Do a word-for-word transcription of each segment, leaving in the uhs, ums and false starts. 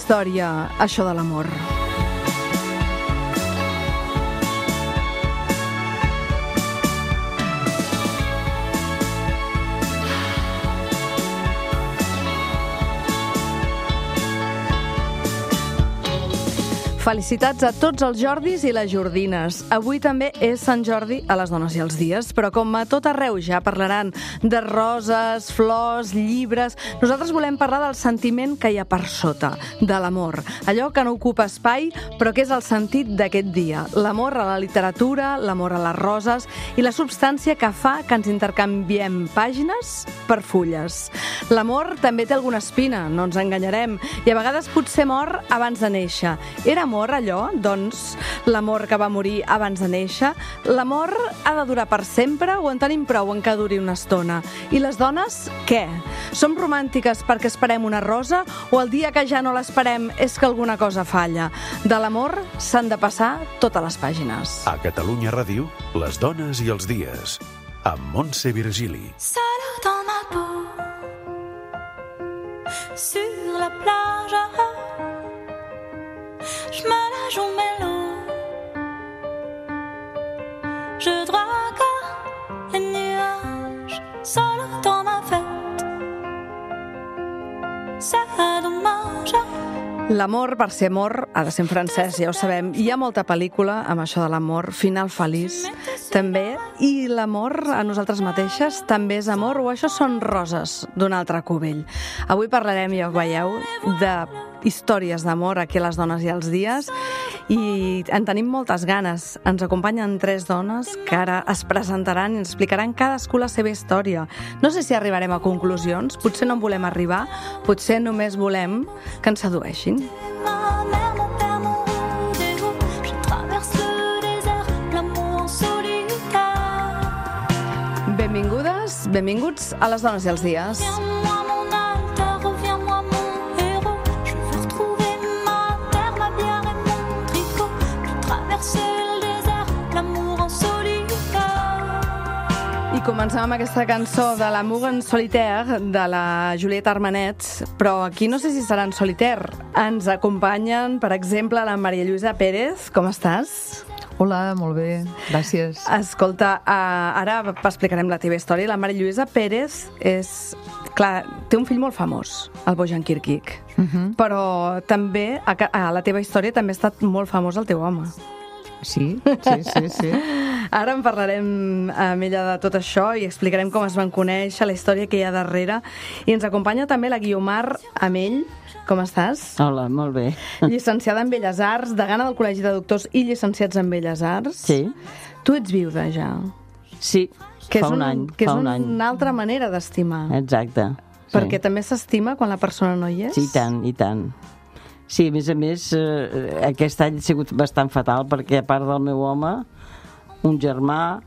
història, això de l'amor. Felicitats a tots els Jordis i les Jordines. Avui també és Sant Jordi a les dones i els dies, però com a tot arreu ja parlaran de roses, flors, llibres, nosaltres volem parlar del sentiment que hi ha per sota, de l'amor. Allò que no ocupa espai, però que és el sentit d'aquest dia. L'amor a la literatura, l'amor a les roses i la substància que fa que ens intercanviem pàgines per fulles. L'amor també té alguna espina, no ens enganyarem, i a vegades potser mor abans de néixer. Era amor allò? Doncs l'amor que va morir abans de néixer? L'amor ha de durar per sempre o en tenim prou en que duri una estona? I les dones, què? Som romàntiques perquè esperem una rosa o el dia que ja no l'esperem és que alguna cosa falla? De l'amor s'han de passar totes les pàgines. A Catalunya Ràdio, les dones i els dies, amb Montse Virgili. Seule dans ma peau, sur la plage, je me la joue mélo, je drague les nuages, seule dans ma fête, c'est dommage. L'amor, per ser amor, ha de ser en francès, ja ho sabem. Hi ha molta pel·lícula amb això de l'amor, Final feliç, també. I l'amor a nosaltres mateixes també és amor o això són roses d'un altre cubell? Avui parlarem, ja ho veieu, de històries d'amor aquí a les dones i els dies i en tenim moltes ganes. Ens acompanyen tres dones que ara es presentaran i ens explicaran cadascú la seva història. No sé si arribarem a conclusions, potser no en volem arribar, potser només volem que ens sedueixin. Benvingudes, benvinguts a les dones i els dies. I comencem amb aquesta cançó de l'Amour en solitaire de la Juliette Armanet, però aquí no sé si serà en solitaire. Ens acompanyen, per exemple, la Maria Lluïsa Pérez. Com estàs? Hola, molt bé, gràcies. Escolta, uh, ara explicarem la teva història. La Maria Lluïsa Pérez és... Clar, té un fill molt famós, el Bojan Kirkic, uh-huh. Però també a, a la teva història també ha estat molt famós el teu home. Sí, sí, sí, sí. Ara en parlarem amb ella de tot això i explicarem com es van conèixer, la història que hi ha darrere. I ens acompanya també la Guiomar Amell. Com estàs? Hola, molt bé. Llicenciada en Belles Arts, degana del Col·legi de Doctors i llicenciats en Belles Arts. Sí. Tu ets viuda, ja. Sí, que fa un, un any. Que és fa un una any. altra manera d'estimar. Exacte. Perquè sí. també s'estima quan la persona no hi és? Sí, i tant, i tant. Sí, a més a més, eh, aquest any ha sigut bastant fatal perquè a part del meu home, un germà,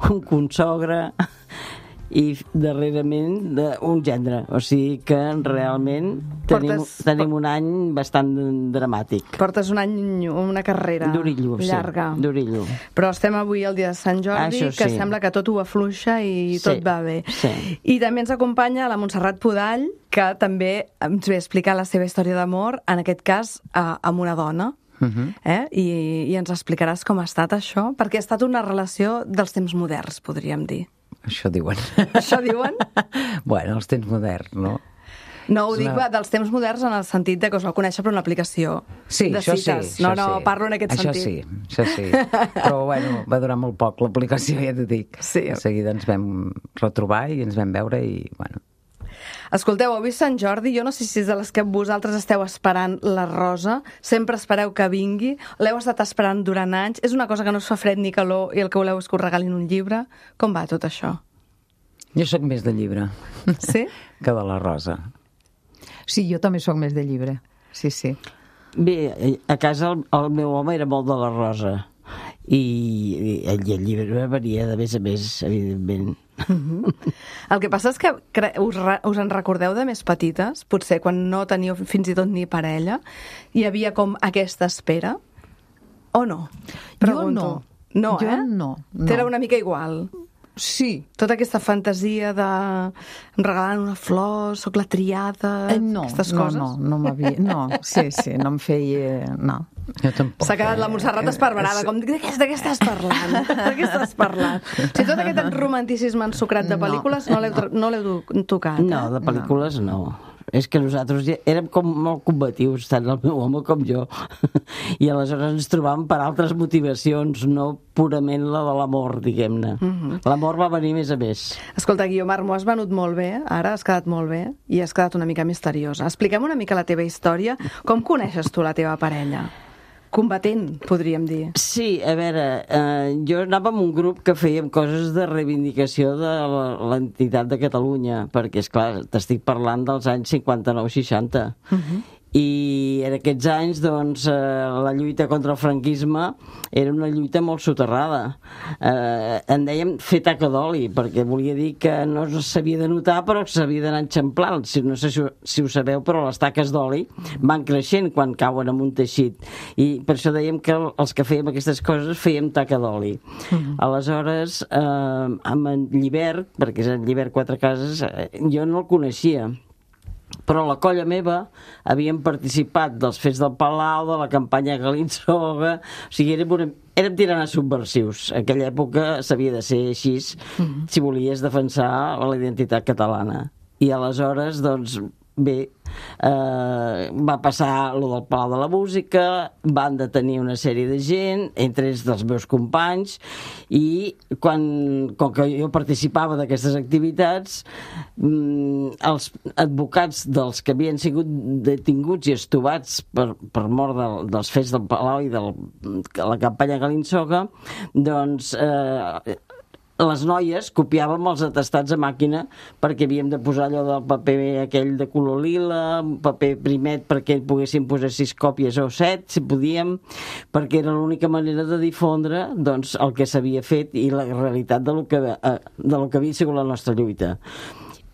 un consogre i darrerament un gendre. O sigui que realment tenim, Portes... tenim un any bastant dramàtic. Portes un any, una carrera D'orillo, llarga. Sí, d'orillo. Però estem avui el dia de Sant Jordi, Això que sí. sembla que tot ho afluixa i tot sí, va bé. Sí. I també ens acompanya la Montserrat Podall, que també ens ve a explicar la seva història d'amor, en aquest cas eh, amb una dona. Uh-huh. eh? I, I ens explicaràs com ha estat això, perquè ha estat una relació dels temps moderns, podríem dir. Això diuen. Això diuen? Bueno, els temps moderns, no? No, ho És dic una... dels temps moderns en el sentit de que us vau conèixer per una aplicació sí, de això cites. Sí, no, això no, sí. parlo en aquest això sentit. Sí, això sí. Però, bueno, va durar molt poc l'aplicació, ja t'ho dic. Sí. De seguida ens vam retrobar i ens vam veure i, bueno... Escolteu, avui Sant Jordi, jo no sé si és de les que vosaltres esteu esperant la rosa, sempre espereu que vingui, l'heu estat esperant durant anys, és una cosa que no us fa fred ni calor i el que voleu és que us regalin un llibre. Com va tot això? Jo sóc més de llibre. Sí? Que de la rosa. Sí, jo també sóc més de llibre. Sí, sí. Bé, a casa el, el meu home era molt de la rosa i, i el llibre varia de més a més, evidentment. Uh-huh. El que passa és que us, us en recordeu de més petites, potser quan no teníeu fins i tot ni parella, hi havia com aquesta espera? O no? Pregunto. Jo no. No, jo eh? no. no. T'era una mica igual. Sí. Tota aquesta fantasia de em regalen una flor, soc la triada, Eh, no, aquestes no, coses? no, no m'havia... No, sí, sí, no em feia... No. Jo tampoc. S'ha quedat la Montserrat esparverada, com de què, de què estàs parlant? De què estàs parlant? O sigui, tot aquest romanticisme ensucrat de pel·lícules no l'heu no l'heu tocat, eh? No, de pel·lícules no. És que nosaltres ja érem com molt combatius, tant el meu home com jo. I aleshores ens trobàvem per altres motivacions, no purament la de l'amor, diguem-ne. Mhm. L'amor va venir més a més. Escolta, Guiomar, m'ho has venut molt bé, ara has quedat molt bé i has quedat una mica misteriosa. Expliquem una mica la teva història. Com coneixes tu la teva parella? Combatent, podríem dir. Sí, a veure, eh, jo anava amb un grup que fèiem coses de reivindicació de la- l'entitat de Catalunya, perquè, és clar, t'estic parlant dels anys cinquanta-nou seixanta. I en aquests anys, doncs, eh, la lluita contra el franquisme era una lluita molt soterrada. Eh, en dèiem fer taca d'oli, perquè volia dir que no s'havia de notar, però que s'havia d'anar enxamplant. Si, no sé si, ho- si ho sabeu, però les taques d'oli van creixent quan cauen en un teixit. I per això dèiem que els que fèiem aquestes coses fèiem taca d'oli. Aleshores, eh, amb en Llibert, perquè és en Llibert Quatre Cases, eh, jo no el coneixia, però la colla meva havíem participat dels Fets del Palau, de la campanya Galinsoga, o sigui, érem, una, érem tirant subversius. En aquella època s'havia de ser així si volies defensar la identitat catalana. I aleshores, doncs, bé, eh, va passar lo del Palau de la Música, van detenir una sèrie de gent, entre ells dels meus companys, i quan, com que jo participava d'aquestes activitats, mm, els advocats dels que havien sigut detinguts i estovats per, per mort del, dels Fets del Palau i de la campanya Galinsoga, doncs eh, les noies copiàvem els atestats a màquina perquè havíem de posar allò del paper aquell de color lila, un paper primet perquè poguéssim posar sis còpies o set, si podíem, perquè era l'única manera de difondre doncs, el que s'havia fet i la realitat de lo que, eh, de lo que havia sigut la nostra lluita.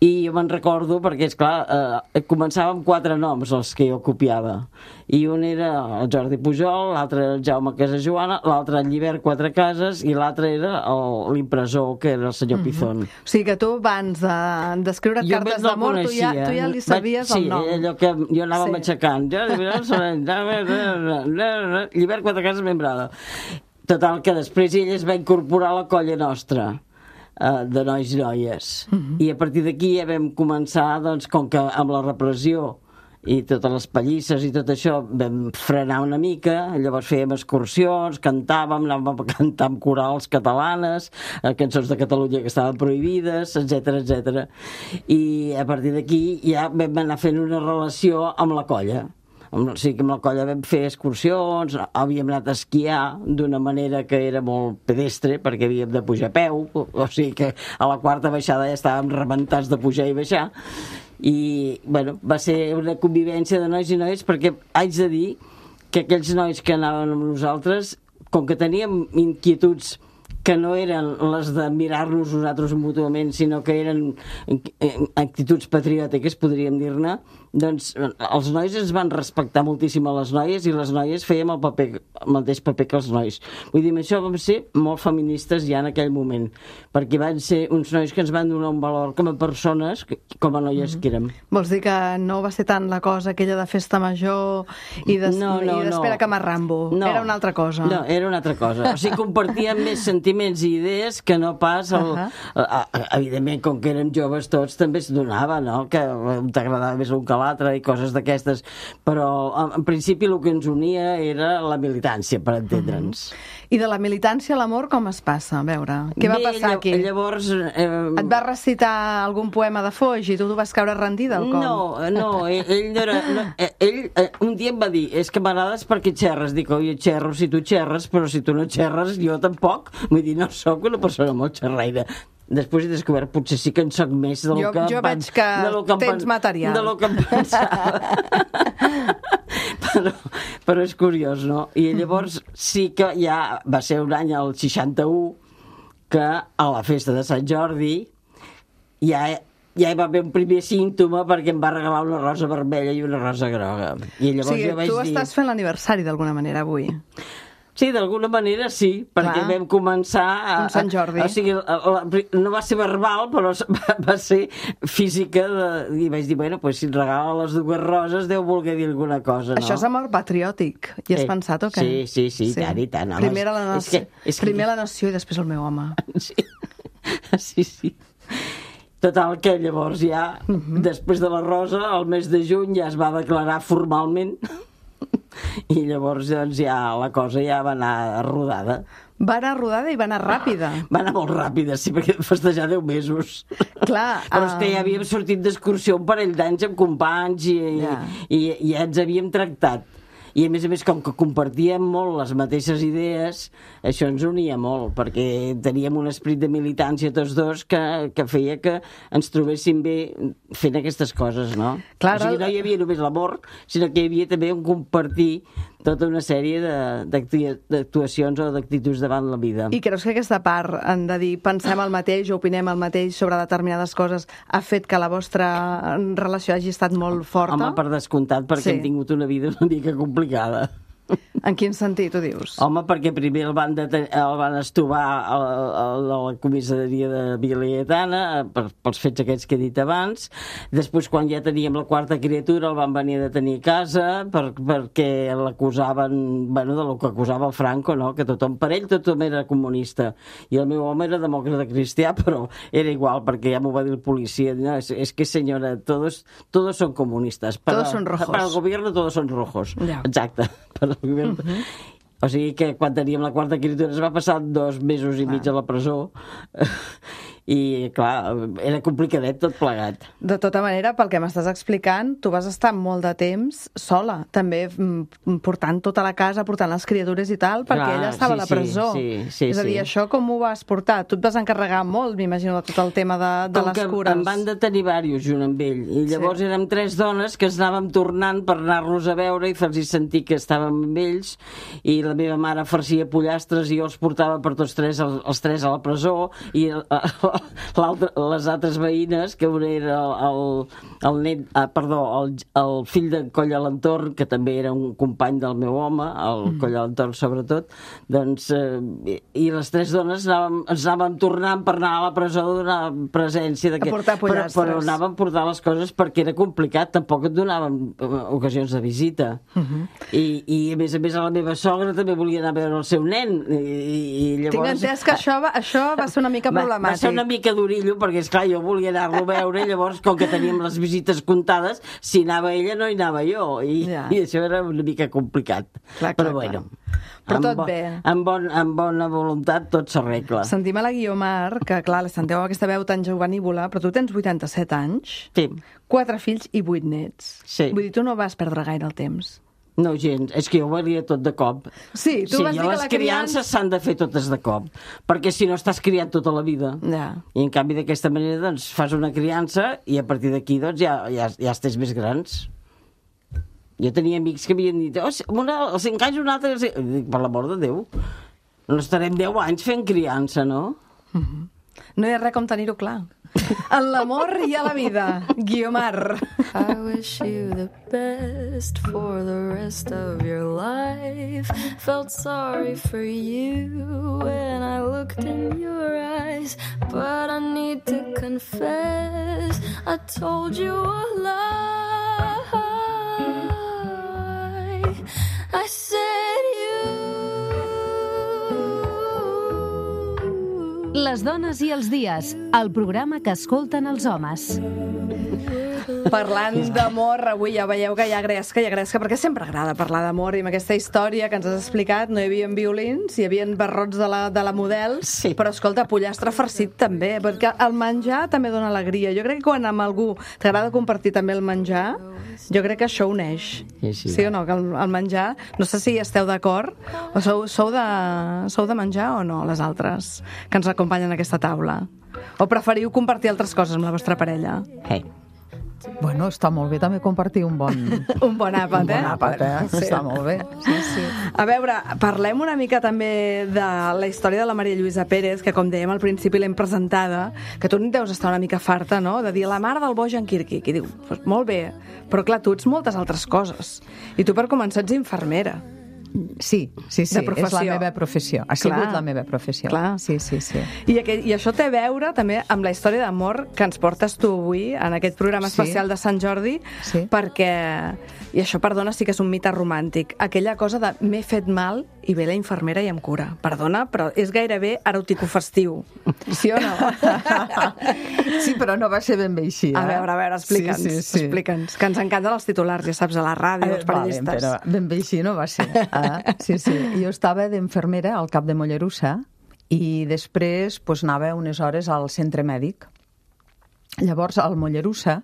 I jo me'n recordo perquè, esclar, eh, començava amb quatre noms els que jo copiava. I un era el Jordi Pujol, l'altre el Jaume Casajoana, l'altre el Llibert Quatre Cases i l'altre era el- l'impressor, que era el senyor Pizón. O sigui que tu, abans de- d'escriure Jo cartes no el d'amor, tu, ja, coneixia. tu ja li Vaig- sabies sí, el nom. allò que jo anava Sí. matxacant. Llibert Quatre Cases membrada. Total, que després ell es va incorporar a la colla nostra, eh, de nois i noies. I a partir d'aquí ja vam començar, doncs, com que amb la repressió i totes les pallisses i tot això vam frenar una mica, llavors fèiem excursions, cantàvem, anàvem a cantar amb corals catalanes, eh, cançons de Catalunya que estaven prohibides, etcètera, etcètera. I a partir d'aquí ja vam anar fent una relació amb la colla. Amb- O sigui que amb la colla vam fer excursions, havíem anat a esquiar d'una manera que era molt pedestre, perquè havíem de pujar a peu, o sigui que a la quarta baixada ja estàvem rebentats de pujar i baixar. I, bueno, va ser una convivència de nois i noies, perquè haig de dir que aquells nois que anaven amb nosaltres, com que teníem inquietuds que no eren les de mirar-nos nosaltres mútuament, sinó que eren actituds patriòtiques, podríem dir-ne, doncs els nois ens van respectar moltíssim a les noies i les noies fèiem el, paper, el mateix paper que els nois. Vull dir, amb això vam ser molt feministes ja en aquell moment, perquè van ser uns nois que ens van donar un valor com a persones, com a noies que érem. Vols dir que no va ser tant la cosa aquella de festa major i des- No, no, i d'espera no. que m'arrambo? No. Era una altra cosa. No, era una altra cosa. O sigui, compartíem més sentiments i idees que no pas el... Ahà. a, a, evidentment, com que érem joves tots, també es donava, no?, que t'agradava més un que l'altre i coses d'aquestes, però en, en principi el que ens unia era la militància, per entendre'ns. I de la militància a l'amor com es passa? A veure, què va Bé, passar lla- aquí? Llavors... Eh, Et va recitar algun poema de Foix i tu t'ho vas caure rendida o com? No, no, ell, ell no era... No, eh, ell eh, un dia em va dir, és que m'agrades perquè xerres. Dic, oi, xerro si tu xerres, però si tu no xerres, jo tampoc. Vull dir, no sóc una persona molt xerraire. Després he descobert, potser sí que en soc més del Jo- que... em jo pen- veig que de lo em tens pen- material. De lo que em pensava. però, però és curiós, no? I llavors sí que ja va ser un any, el seixanta-u, que a la festa de Sant Jordi ja, ja hi va haver un primer símptoma perquè em va regalar una rosa vermella i una rosa groga. I O llavors sigui, jo vaig tu dir... estàs fent l'aniversari d'alguna manera avui. Sí, d'alguna manera sí, perquè Clar. vam començar... A, Com Sant Jordi. A, o sigui, a, a, no va ser verbal, però va, va ser física, de, i vaig dir, bueno, pues, si et regala les dues roses deu voler dir alguna cosa, no? Això és amor patriòtic. Hi has Sí. pensat o què? Sí, sí, sí, i tant, i tant, home. Primer la És nació, que- és que- primer la nació i després el meu home. Sí, sí, sí. Total, que llavors ja, uh -huh. després de la rosa, el mes de juny ja es va declarar formalment i llavors doncs, ja la cosa ja va anar rodada. Va anar rodada i va anar ràpida. Va anar molt ràpida, sí, perquè vam festejar deu mesos. Clar. Però és que ja ah, havíem sortit d'excursió un parell d'anys amb companys i, Ja. i, i ja ens havíem tractat. I a més a més, com que compartíem molt les mateixes idees, això ens unia molt, perquè teníem un esperit de militància tots dos que, que feia que ens trobéssim bé fent aquestes coses, no? Clar, o sigui, el- no hi havia només l'amor, sinó que hi havia també un compartir tota una sèrie de- d'actua- d'actuacions o d'actituds davant la vida. I creus que aquesta part, en de dir pensem el mateix o opinem el mateix sobre determinades coses, ha fet que la vostra relació hagi estat molt forta? Home, per descomptat, perquè Sí. hem tingut una vida una mica complicada. En quin sentit ho dius? Home, perquè primer el van, deten el van estovar a, a, a la comissaria de Vila Laietana per, pels fets aquests que he dit abans. Després, quan ja teníem la quarta criatura, el van venir a detenir a casa per, perquè l'acusaven, bueno, de lo que acusava el Franco, no? Que tothom, per ell tothom era comunista. I el meu home era demòcrata cristià, però era igual, perquè ja m'ho va dir el policia. No, és, és que, senyora, todos, todos son comunistas. Para, Todos son rojos. Para el gobierno todos son rojos. Ja. Exacte. Per el govern. Uh -huh. O sigui que quan teníem la quarta criatura es va passar dos mesos i mig a la presó i, clar, era complicadet tot plegat. De tota manera, pel que m'estàs explicant, tu vas estar molt de temps sola, també mm, portant tota la casa, portant les criatures i tal, perquè Clar, ella estava sí, a la sí, presó. sí, sí, És a dir, sí. això com ho vas portar? Tu et vas encarregar molt, m'imagino, de tot el tema de, de Com les que cures. em van detenir diversos junt amb ell, i llavors Sí. érem tres dones que ens anàvem tornant per anar-los a veure i fer-los sentir que estàvem amb ells, i la meva mare farcia pollastres i jo els portava per tots tres, els, els tres a la presó, i l'altre, les altres veïnes, que un era el, el net, ah, perdó, el, el fill de Coll a l'Entorn, que també era un company del meu home, el mm. Coll a l'Entorn sobretot, doncs, eh, i, i les tres dones anàvem, ens anàvem tornant per anar a la presó a donar presència A portar però, pollastres. però anàvem a portar les coses perquè era complicat, tampoc et donàvem eh, ocasions de visita. Uh -huh. I, I a més a més a la meva sogra també volia anar a veure el seu nen, i, i llavors... Tinc entès que això va, això va ser una mica Va, problemàtic. va ser una mica d'orillo, perquè, esclar, jo volia anar-lo a veure, i llavors, com que teníem les visites comptades, si anava ella, no hi anava jo, i, Ja. i això era una mica complicat. Clar, clar, Però, clar. bueno, Però amb tot bo- bé. Amb, bon, amb bona voluntat tot s'arregla. Sentim a la Guiomar, que clar, la senteu amb aquesta veu tan jovenívola, però tu tens vuitanta-set anys, Sí. quatre fills i vuit nets. Sí. Vull dir, tu no vas perdre gaire el temps. No, gens, és que jo ho varia tot de cop. Sí, tu sí, vas dir que les la criances criança... s'han de fer totes de cop, perquè si no estàs criat tota la vida. Ja. I en canvi d'aquesta manera doncs fas una criança i a partir d'aquí doncs ja, ja, ja estàs més grans. Jo tenia amics que havien dit, oh, una, als cinc anys un altre... Dic, per l'amor de Déu, no estarem deu anys fent criança, no? No hi ha res com tenir-ho clar. En l'amor i a la vida. Guiomar. I wish you the best for the rest of your life. Felt sorry for you when I looked in your eyes, but I need to confess I told you a lie. I said you. Les dones i els dies, el programa que escolten els homes. Parlant d'amor, avui ja veieu que hi ha gresca, hi ha gresca, perquè sempre agrada parlar d'amor, i amb aquesta història que ens has explicat no hi havia violins, hi havia barrots de la, de la model, Sí. però escolta, pollastre farcit també, perquè el menjar també dona alegria. Jo crec que quan amb algú t'agrada compartir també el menjar, jo crec que això uneix. Sí, sí. Sí o no? Que el, el menjar, no sé si esteu d'acord, o sou, sou, de, sou de menjar o no, les altres, que ens acompanyen a aquesta taula? O preferiu compartir altres coses amb la vostra parella? Hey. Bueno, està molt bé també compartir un bon, Un bon àpat, un bon eh? àpat, eh? Sí. Està molt bé. Sí, sí. A veure, parlem una mica també de la història de la Maria Lluïsa Pérez, que com dèiem al principi l'hem presentada, que tu deus estar una mica farta, no?, de dir la mare del Bojan Kirkik, i diu, pues, molt bé, però clar, tu ets moltes altres coses. I tu per començar ets infermera. Sí, sí, sí, De professió. és la meva professió. Ha Clar. sigut la meva professió. Clar. Sí, sí, sí. I, aquell, I això té a veure també amb la història d'amor que ens portes tu avui en aquest programa Sí. especial de Sant Jordi, Sí. perquè, i això, perdona, sí que és un mite romàntic, aquella cosa de m'he fet mal i ve la infermera i em cura. Perdona, però és gairebé eròtico-festiu. Sí o no? Sí, però no va ser ben bé així. Eh? A veure, a veure, explica'ns, Sí, sí, sí. explica'ns, que ens encanten els titulars, ja saps, a la ràdio, els Eh, vale, periodistes. però ben bé així no va ser. Eh? Sí, sí. Jo estava d'infermera al cap de Mollerussa i després pues, anava unes hores al centre mèdic. Llavors, al Mollerussa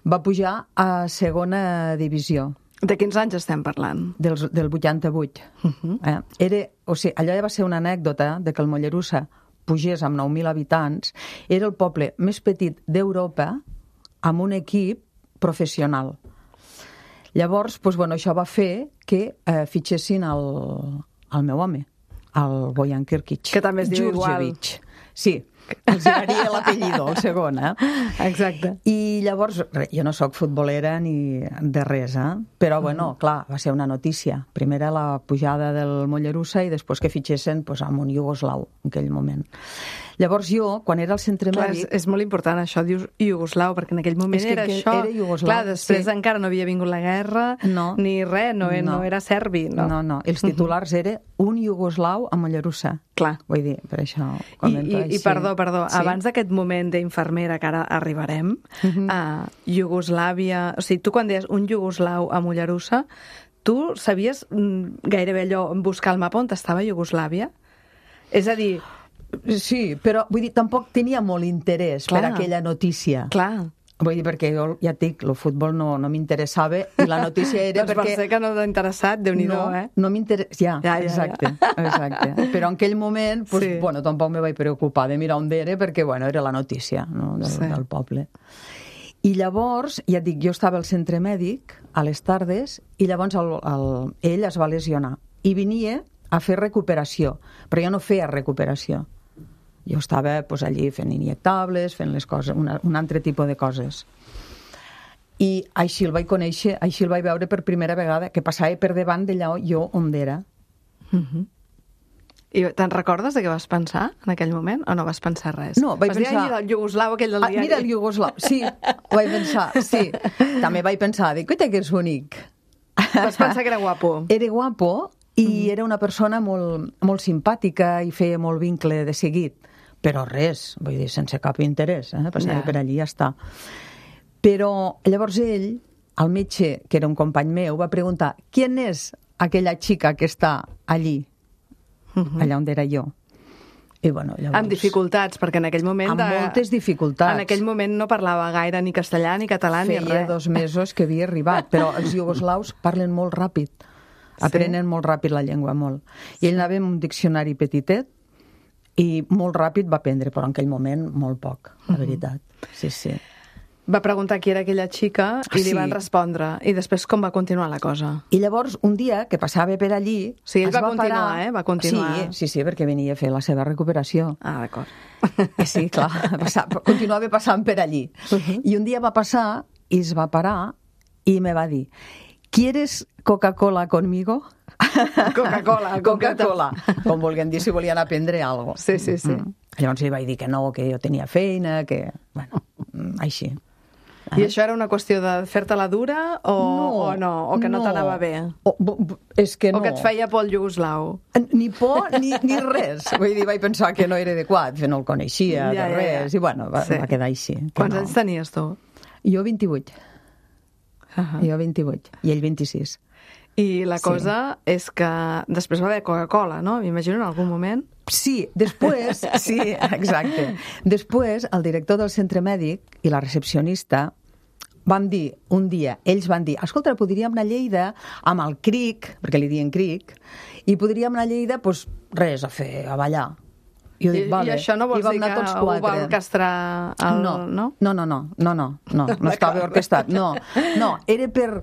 va pujar a segona divisió De quins anys estem parlant? dels, del vuitanta-vuit. Uh -huh. eh? Era, o sigui, allò ja va ser una anècdota de que el Mollerussa pugés amb nou mil habitants. Era el poble més petit d'Europa amb un equip professional. Llavors, doncs, bueno, això va fer que eh, fitxessin el, el meu home, el Bojan Kirkic. Que també es diu igual. Djurdjevic. Sí, els varia l'apellido, el segon, eh? Exacte. I llavors, re, jo no sóc futbolera ni de res, eh? Però, bueno, clar, va ser una notícia. Primera la pujada del Mollerussa i després que fitxessin pues, amb un iugoslau en aquell moment. Llavors jo, quan era al centre Clar, és, mèdic... és molt important això, dius iugoslau, perquè en aquell moment És que era aquell- això. era iugoslau, Clar, després sí. encara no havia vingut la guerra, No. ni res, no, no. no era serbi, no? No, no, els titulars uh -huh. era un iugoslau a Mollerussa. Clar. Vull dir, per això ho I, comento i, així. I perdó, perdó, Sí. abans d'aquest moment d'infermera que ara arribarem, uh Mhm. -huh. a Iugoslàvia... O sigui, tu quan deies un iugoslau a Mollerussa, tu sabies mm, gairebé allò, buscar el mapa on estava Iugoslàvia? És a dir, Sí, però vull dir, tampoc tenia molt interès Clar. per aquella notícia. clar, Vull dir, perquè jo, ja et dic, el futbol no, no m'interessava i la notícia era doncs perquè... per ser que no t'ha interessat, Déu-n'hi-do, no, eh? no m'interessa... Ja, Ja, ja, exacte, exacte. Però en aquell moment, pues, Sí. bueno, tampoc me vaig preocupar de mirar on era perquè, bueno, era la notícia, no, del, Sí. del poble. I llavors, ja et dic, jo estava al centre mèdic a les tardes i llavors el, el, ell es va lesionar i venia a fer recuperació, però jo no feia recuperació. Jo estava pues, allí fent injectables, fent les coses, una, un altre tipus de coses. I així el vaig conèixer, així el vaig veure per primera vegada, que passava per davant d'allà jo on era. I te'n recordes de què vas pensar en aquell moment? O no vas pensar res? No, vaig vas dir, pensar- "Ai, el iugoslau aquell del Ah, diari". mira el iugoslau, sí, ho vaig pensar, sí. També vaig pensar, dic, coita que és bonic. Vas pensar que era guapo. Era guapo i era una persona molt, molt simpàtica i feia molt vincle de seguit. Però res, vull dir, sense cap interès, eh? Passava Ja. per allí i ja està. Però llavors ell, el metge, que era un company meu, va preguntar «Quién és aquella xica que està allí?» allà on era jo. I, bueno, llavors... Amb dificultats, perquè en aquell moment... Amb moltes dificultats. En aquell moment no parlava gaire ni castellà, ni català, ni Feia res. dos mesos que havia arribat, però els iugoslaus parlen molt ràpid, aprenen molt ràpid la llengua, molt. I ell anava amb un diccionari petitet i molt ràpid va aprendre, però en aquell moment molt poc, la veritat. Sí, sí. Va preguntar qui era aquella xica i li Sí. van respondre. I després com va continuar la cosa? I llavors, un dia que passava per allí... Sí, ell es va continuar, parar... eh? Va continuar. Sí, sí, sí, perquè venia a fer la seva recuperació. Ah, d'acord. Sí, clar, passa, continuava passant per allí. Uh-huh. I un dia va passar i es va parar i me va dir ¿Quieres Coca-Cola conmigo? Coca-Cola, Coca-Cola. Com volguem dir, si volien aprendre alguna cosa. Sí, sí, sí. Mm. Llavors li vaig dir que no, que jo tenia feina, que... Bueno, mm, així. I això era una qüestió de fer-te-la dura o no, o, no, o que no, t'anava bé? O, bu- bu- és que no. O que et feia por el iugoslau? Ni por ni, ni res. Vull dir, vaig pensar que no era adequat, que no el coneixia, Ja, de ja, res, ja. i bueno, va, Sí. va quedar així. que Quants no. anys tenies tu? Jo vint-i-vuit. Uh-huh. Jo vint-i-vuit. I ell vint-i-sis. I la Sí. cosa és que després va haver Coca-Cola, no? M'imagino en algun moment. Sí, després, sí, exacte. Després, el director del centre mèdic i la recepcionista van dir, un dia, ells van dir, escolta, podríem anar a Lleida amb el cric, perquè li diuen cric, i podríem anar a Lleida, doncs, res, a fer, a ballar. I, jo I, dic, vale. I això no vols I vam dir anar que tots ho va quatre. orquestrar el... No, no? no, no, no, no, no, no, no estava orquestat, no, no, era per,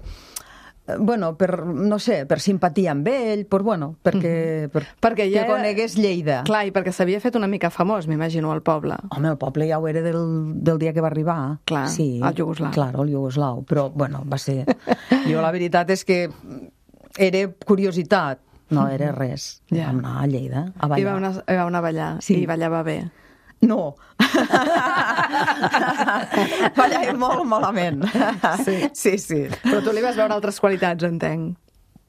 eh, bueno, per, no sé, per simpatia amb ell, per, bueno, perquè, per, Perquè ja que conegués Lleida. Clar, i perquè s'havia fet una mica famós, m'imagino, al poble. Home, el poble ja ho era del, del dia que va arribar. Clar, sí, el iugoslau. Clar, el iugoslau, però, bueno, va ser... Jo la veritat és que era curiositat. No, era res. Ja. Vam anar a Lleida, a ballar. I va anar, va anar a ballar, Sí. i ballava bé. No. Ballava molt malament. Sí. Sí, sí. Però tu li vas veure altres qualitats, entenc.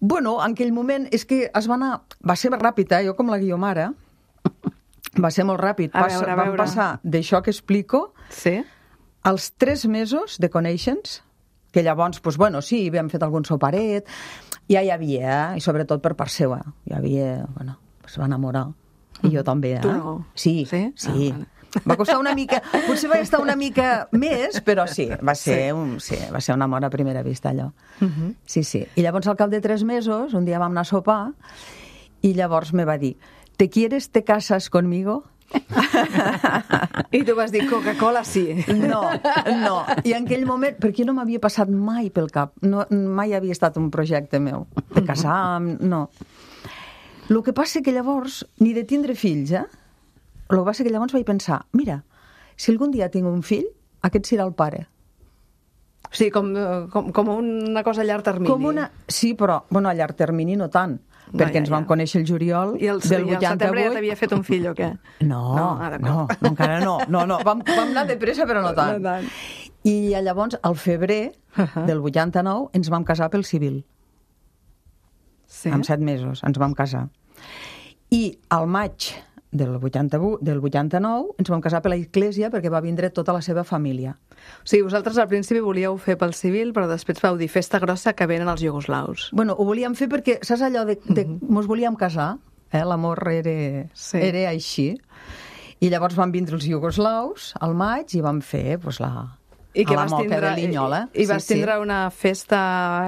Bueno, en aquell moment és que es va anar... Va ser ràpid, eh? Jo com la Guiomara. Va ser molt ràpid. A Passa, veure, a vam veure. passar d'això que explico Sí? als tres mesos de conèixer-nos, que llavors, doncs, bueno, sí, havíem fet algun soparet, ja hi havia, eh? I sobretot per part seva, hi havia, bueno, es va enamorar. I jo també, eh? Tu no? Sí, Sí? sí. Ah, vale. Va costar una mica, potser va estar una mica més, però sí, va ser, un, sí, va ser un amor a primera vista, allò. Sí, sí. I llavors, al cap de tres mesos, un dia vam anar a sopar, i llavors me va dir, ¿te quieres, te casas conmigo? I tu vas dir, Coca-Cola sí. No, no. I en aquell moment, perquè no m'havia passat mai pel cap, no, mai havia estat un projecte meu, de casar, amb- no. El que passa que llavors, ni de tindre fills, eh? El que passa que llavors vaig pensar, mira, si algun dia tinc un fill, aquest serà el pare. O sigui, com, com, com una cosa a llarg termini. Com una... Sí, però, bueno, a llarg termini no tant, No, perquè ja, ens vam ja. conèixer el juliol I el, del i el setembre ja vuitanta-vuit. t'havia fet un fill o què? No, No, no, ara no, no. no, encara no. No, no. Vam, vam anar de pressa, però no tant. No tant. I llavors, al febrer del vuitanta-nou, ens vam casar pel civil. Sí? Amb set mesos ens vam casar. I al maig del vuitanta-vuit, del vuitanta-nou ens vam casar per la església perquè va vindre tota la seva família. O sigui, vosaltres al principi volíeu fer pel civil, però després vau dir festa grossa que venen els iugoslaus. Bueno, ho volíem fer perquè, saps allò de... de mos volíem casar, eh? L'amor era, Sí. era així. I llavors van vindre els iugoslaus al maig i vam fer pues, la, I que a la vas moca tindre, de Linyola. I, i vas Sí, sí. tindre una festa,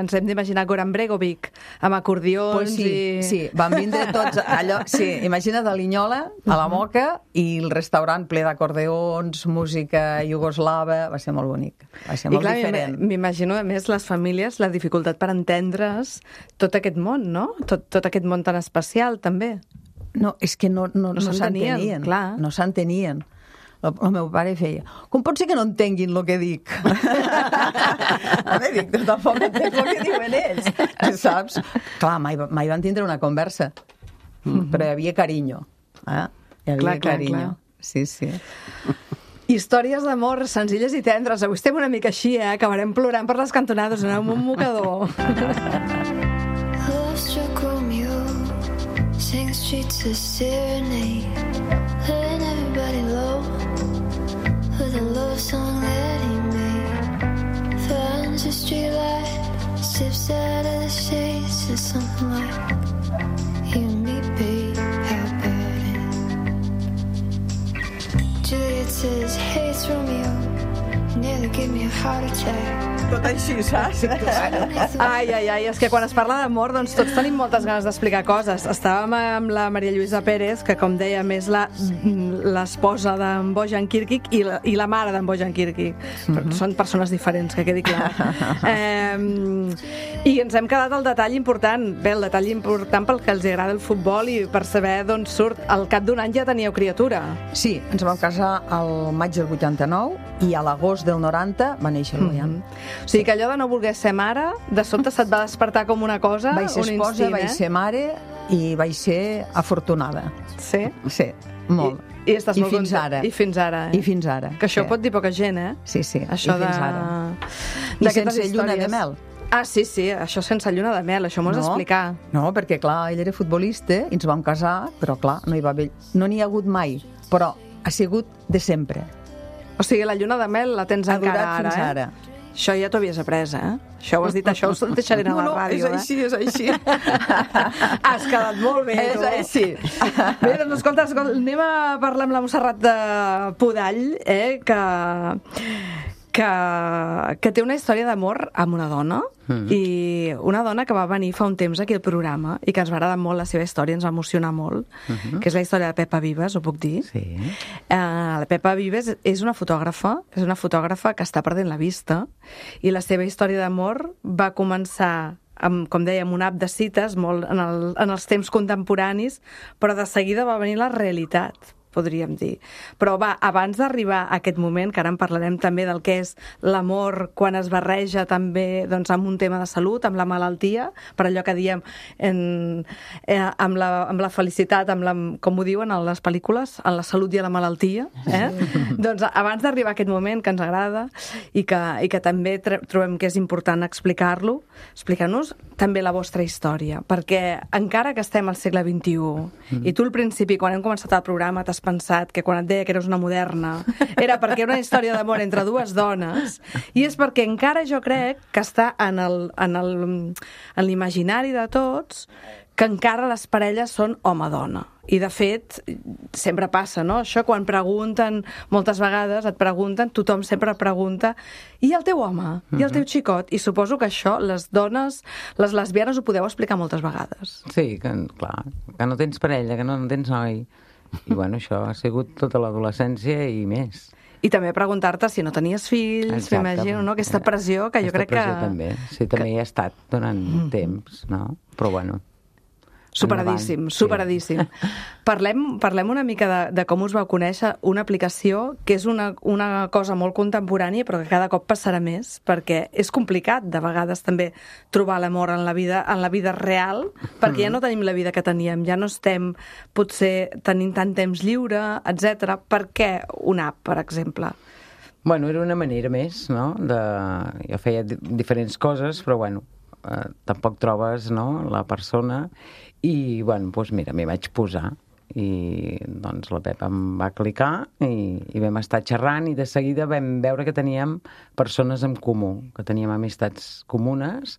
ens hem d'imaginar Goran Bregovic, amb acordions Pues sí, i... sí, van vindre tots allò, sí, imagina't a Linyola, a la Moca, i el restaurant ple d'acordeons, música iugoslava, va ser molt bonic, va ser I molt clar, diferent. m'im- m'imagino, a més, les famílies, la dificultat per entendre's tot aquest món, no? Tot, tot aquest món tan especial, també. No, és que no, no, No no s'entenien, s'entenien, clar. no s'entenien. El, el meu pare feia, com pot ser que no entenguin el que dic? Home, dic, tu tampoc entenc el que diuen ells, saps? Clar, mai, mai van tindre una conversa, però hi havia carinyo, eh? Hi havia Clar, clar, carinyo. clar. Sí, sí. Històries d'amor senzilles i tendres. Avui estem una mica així, eh? Acabarem plorant per les cantonades, aneu amb un mocador. Love struck Romeo, sang the streets a serenade, letting everybody low with a love song that he made. Finds a streetlight, steps out of the shade, says something like, "You and me, babe, how about it?" Juliet says, "Hey, it's Romeo, you nearly gave me a heart attack." Tot així, saps? Ai, ai, ai, és que quan es parla d'amor, doncs tots tenim moltes ganes d'explicar coses. Estàvem amb la Maria Lluïsa Pérez, que com dèiem és la- l'esposa d'en Bojan Kirkic i la, i la mare d'en Bojan Kirkic. Però són persones diferents, que quedi clar. Eh, I ens hem quedat al detall important. Bé, el detall important pel que els agrada el futbol i per saber d'on surt. Al cap d'un any ja teníeu criatura. Sí, ens vam casar al maig del vuitanta-nou i a l'agost del noranta va néixer el Bojan. O sigui que allò de no voler ser mare, de sobte se't va despertar com una cosa, Vaig ser un esposa, instint, vaig eh? ser mare i vaig ser afortunada. Sí? Sí, molt. I, i estàs I molt fins content. ara. I fins ara, eh? I fins ara. Que això sí. pot dir poca gent, eh? Sí, sí, Això i fins de... ara. I d'aquestes sense lluna de històries. mel. Ah, sí, sí, això sense lluna de mel, això m'ho has d'explicar. No, perquè clar, ell era futbolista i ens vam casar, però clar, no hi va haver... No n'hi ha hagut mai, però ha sigut de sempre. O sigui, la lluna de mel la tens Ha encara durat ara, fins eh? ara. Això ja t'ho havies après, eh? Això ho has dit, això ho deixaré a No, la no, ràdio, és així, és així. eh? Has quedat molt bé, És tu. així. Bé, doncs escolta, escolta, anem a parlar amb la Montserrat de Podall, eh, que, que, que té una història d'amor amb una dona, mm. i una dona que va venir fa un temps aquí al programa i que ens va agradar molt la seva història, ens va emocionar molt, mm -hmm. que és la història de Pepa Vives, ho puc dir? Sí. Uh, la Pepa Vives és una fotògrafa, és una fotògrafa que està perdent la vista, i la seva història d'amor va començar amb, com dèiem, un app de cites molt en, el, en els temps contemporanis, però de seguida va venir la realitat, podríem dir. Però va, abans d'arribar a aquest moment, que ara en parlarem també del que és l'amor quan es barreja també doncs, amb un tema de salut, amb la malaltia, per allò que diem en, eh, amb, la, amb la felicitat, amb la, com ho diuen a les pel·lícules, en la salut i a la malaltia. Eh? Doncs abans d'arribar a aquest moment que ens agrada i que, i que també trobem que és important explicar-lo, explicar-nos també la vostra història, perquè encara que estem al segle vint-i-u mm. i tu al principi, quan hem començat el programa, t'has pensat que quan et deia que eres una moderna era perquè era una història d'amor entre dues dones, i és perquè encara jo crec que està en el, en el, en l'imaginari de tots que encara les parelles són home-dona. I, de fet, sempre passa, no? Això, quan pregunten, moltes vegades et pregunten, tothom sempre pregunta i el teu home? I el teu xicot? I suposo que això, les dones, les lesbianes, ho podeu explicar moltes vegades. Sí, que, clar, que no tens parella, que no, no tens noi. I, bueno, això ha sigut tota l'adolescència i més. I també preguntar-te si no tenies fills, m'imagino, no? Aquesta pressió que jo Aquesta crec que... pressió també, sí, també que... hi ha estat durant mm. temps, no? Però, bueno... Superadíssim, superadíssim. Sí. Parlem, parlem una mica de, de com us vau conèixer, una aplicació que és una, una cosa molt contemporània però que cada cop passarà més, perquè és complicat de vegades també trobar l'amor en la vida en la vida real, perquè ja no tenim la vida que teníem, ja no estem potser tenint tant temps lliure, etcètera. Per què una app, per exemple? Bueno, era una manera més, no? De... Jo feia diferents coses, però bueno, eh, tampoc trobes, no?, la persona. I, bueno, doncs mira, m'hi vaig posar i doncs la Pepa em va clicar i, i vam estar xerrant i de seguida vam veure que teníem persones en comú, que teníem amistats comunes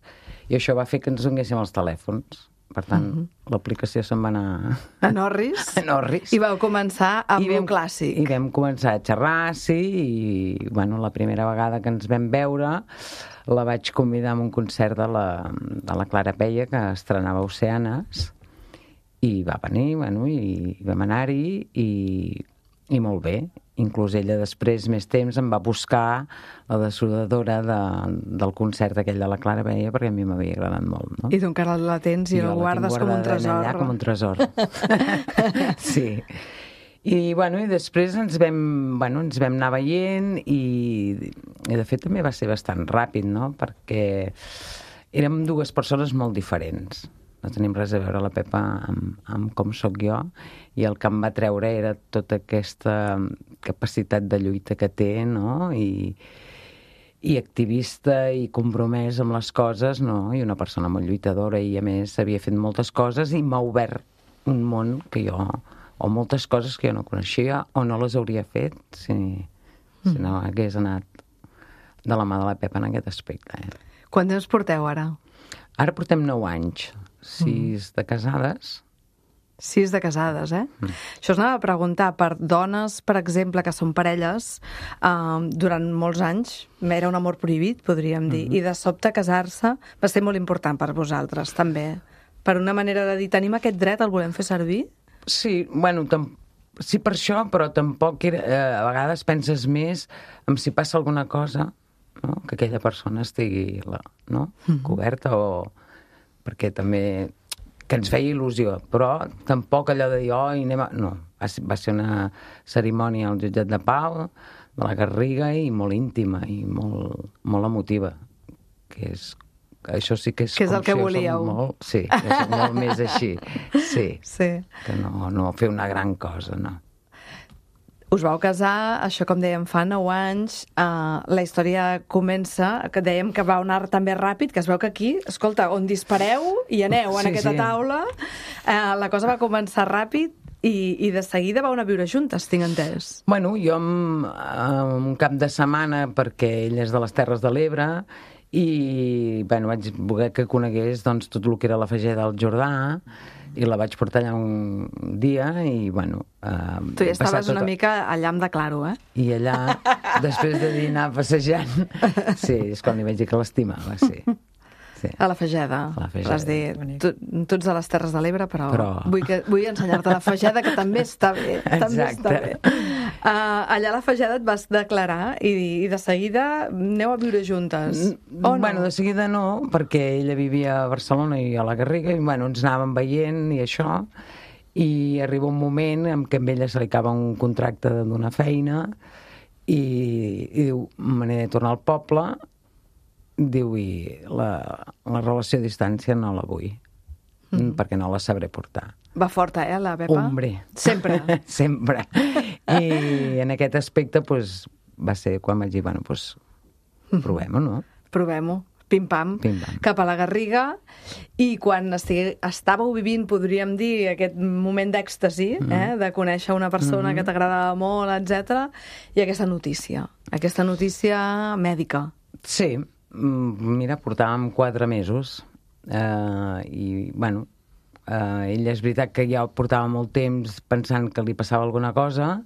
i això va fer que ens donéssim els telèfons. Per tant, mm-hmm. l'aplicació se'n va anar... A Norris? A Norris. I vau començar amb un clàssic. I vam començar a xerrar, sí, i, bueno, la primera vegada que ens vam veure la vaig convidar a un concert de la, de la Clara Peia, que estrenava Oceanes, i va venir, bueno, i vam anar-hi, i, i molt bé. Inclús ella després, més temps, em va buscar la dessodadora de, del concert aquell de la Clara Peia, perquè a mi m'havia agradat molt, no? I tu encara la tens i, I la guardes com un tresor. Allà com un tresor. Sí. I, bueno, i després ens vam, bueno, ens vam anar veient i, i, de fet, també va ser bastant ràpid, no? Perquè érem dues persones molt diferents. No tenim res a veure la Pepa amb, amb com sóc jo, i el que em va treure era tota aquesta capacitat de lluita que té, no? I, i activista i compromès amb les coses, no? I una persona molt lluitadora i, a més, havia fet moltes coses i m'ha obert un món que jo, o moltes coses que jo no coneixia o no les hauria fet si, mm. si no hagués anat de la mà de la Pepa en aquest aspecte. Eh? Quant temps porteu ara? Ara portem nou anys. Sis de casades. Sis de casades, eh? Mm. Això us anava a preguntar, per dones, per exemple, que són parelles, eh, durant molts anys era un amor prohibit, podríem dir, mm-hmm. i de sobte casar-se va ser molt important per vosaltres, també. Per una manera de dir, tenim aquest dret, el volem fer servir? Sí, bueno, tam... sí per això, però tampoc era... Eh, a vegades penses més en si passa alguna cosa, no? Que aquella persona estigui la, no? Mm-hmm. coberta o... perquè també, que ens feia il·lusió, però tampoc allò de dir, oh, i anem a... No, va ser, va ser una cerimònia al jutjat de pau, de la Garriga, i molt íntima, i molt, molt emotiva, que és... Això sí que és... Que és el que volíeu. Molt, sí, és molt més així, sí, sí. Que no, no fer una gran cosa, no. Us vau casar, això com dèiem, fa nou anys, uh, la història comença, que dèiem que va anar també ràpid, que es veu que aquí, escolta, on dispareu i aneu en sí, aquesta sí. taula, uh, la cosa va començar ràpid i, i de seguida vau anar a viure juntes, tinc entès. Bueno, jo en, en un cap de setmana, perquè ell és de les Terres de l'Ebre, i bueno, vaig voler que conegués doncs, tot el que era la Fageda del Jordà, i la vaig portar allà un dia i, bueno... Eh, tu ja estaves tota... una mica allà amb de claro, eh? I allà, després de dinar passejant, sí, és quan li vaig dir que l'estimava, sí. sí. A la Fageda. A la Fageda. Vas dir, tu, tu ets de les Terres de l'Ebre, però, però... vull, que, vull ensenyar-te la Fageda, que també està bé. També Exacte. està bé. Uh, allà a la Fageda et vas declarar i, i de seguida aneu a viure juntes. O no? Bueno, de seguida no, perquè ella vivia a Barcelona i a la Garriga, i bueno, ens anàvem veient i això, I arriba un moment en què a ella se li acaba un contracte d'una feina i, i diu, me n'he de tornar al poble, diu, i la, la relació a distància no la vull, mm. perquè no la sabré portar. Va forta, eh, la Pepa? Hombre. Sempre. Sempre. I en aquest aspecte, pues, va ser quan vaig dir, bueno, pues, provem-ho, no? Provem-ho. Pim-pam, Pim-pam, cap a la Garriga, i quan estigui, estàveu vivint, podríem dir, aquest moment d'èxtasi, mm. eh, de conèixer una persona mm-hmm. que t'agradava molt, etcètera, i aquesta notícia, aquesta notícia mèdica. Sí, mira, portàvem quatre mesos, eh, i, bueno, eh, ella és veritat que ja portava molt temps pensant que li passava alguna cosa,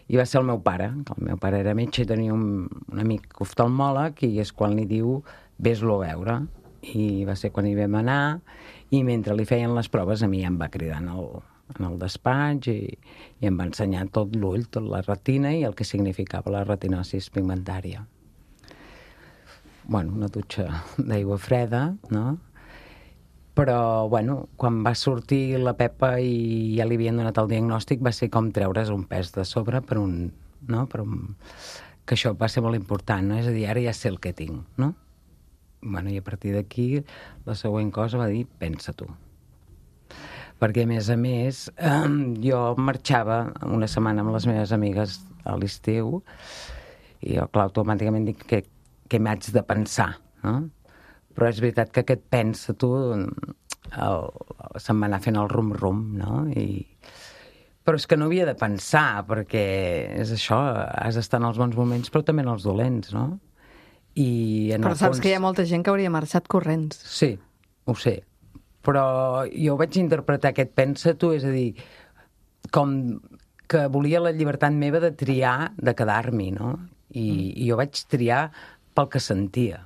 i va ser el meu pare, que el meu pare era metge i tenia un, un amic oftalmòleg, i és quan li diu ves-lo a veure, i va ser quan hi vam anar, i mentre li feien les proves a mi ja em va cridar en el, en el despatx i, i em va ensenyar tot l'ull, tot la retina i el que significava la retinosis pigmentària. Bueno, una dutxa d'aigua freda, no? Però, bueno, quan va sortir la Pepa i ja li havien donat el diagnòstic, va ser com treure's un pes de sobre per un... no? Per un... que això va ser molt important, no? És a dir, ara ja sé el que tinc, no? Bueno, i a partir d'aquí la següent cosa va dir, pensa tu. Perquè, a més a més, eh, jo marxava una setmana amb les meves amigues a l'estiu i jo, clar, automàticament dic que, que m'haig de pensar, no? Però és veritat que aquest pensa tu el, se'm va anar fent el rum-rum, no? I... Però és que no havia de pensar, perquè és això, has d'estar en els bons moments, però també en els dolents, no? I en però saps fons... que hi ha molta gent que hauria marxat corrents. Sí, ho sé. Però jo vaig interpretar aquest pensa tu, és a dir, com que volia la llibertat meva de triar, de quedar-m'hi, no? I, mm. i jo vaig triar pel que sentia.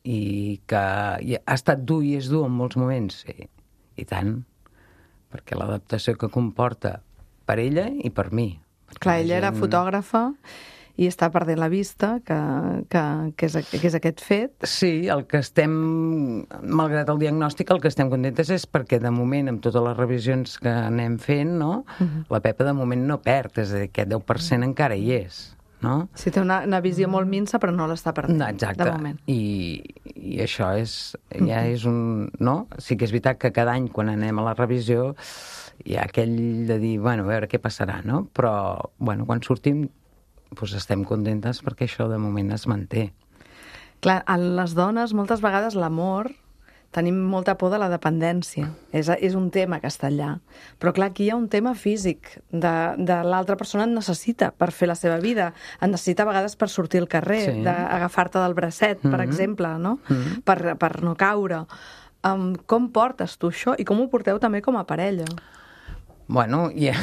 I que i ha estat dur i és dur en molts moments, sí. I tant. Perquè l'adaptació que comporta per ella i per mi. Clar, ella gent... era fotògrafa i està perdent la vista, que, que, que, és, que és aquest fet. Sí, el que estem, malgrat el diagnòstic, el que estem contentes és perquè, de moment, amb totes les revisions que anem fent, no? Uh-huh. La Pepa, de moment, no perd, és a dir, aquest deu per cent uh-huh. encara hi és, no? Sí, té una, una visió molt minsa, però no l'està perdent, no, exacte. De moment. I, i això és, ja és un... No? Sí que és veritat que cada any, quan anem a la revisió, hi ha aquell de dir, bueno, a veure què passarà, no? Però, bueno, quan sortim... doncs estem contentes perquè això de moment es manté. Clar, a les dones moltes vegades l'amor tenim molta por de la dependència. És, és un tema que està allà. Però clar, aquí hi ha un tema físic. De, de l'altra persona et necessita per fer la seva vida. Et necessita a vegades per sortir al carrer, sí. d'agafar-te del bracet, per mm-hmm. exemple, no? Mm-hmm. per, per no caure. Um, com portes tu això? I com ho porteu també com a parella? Bueno, ja...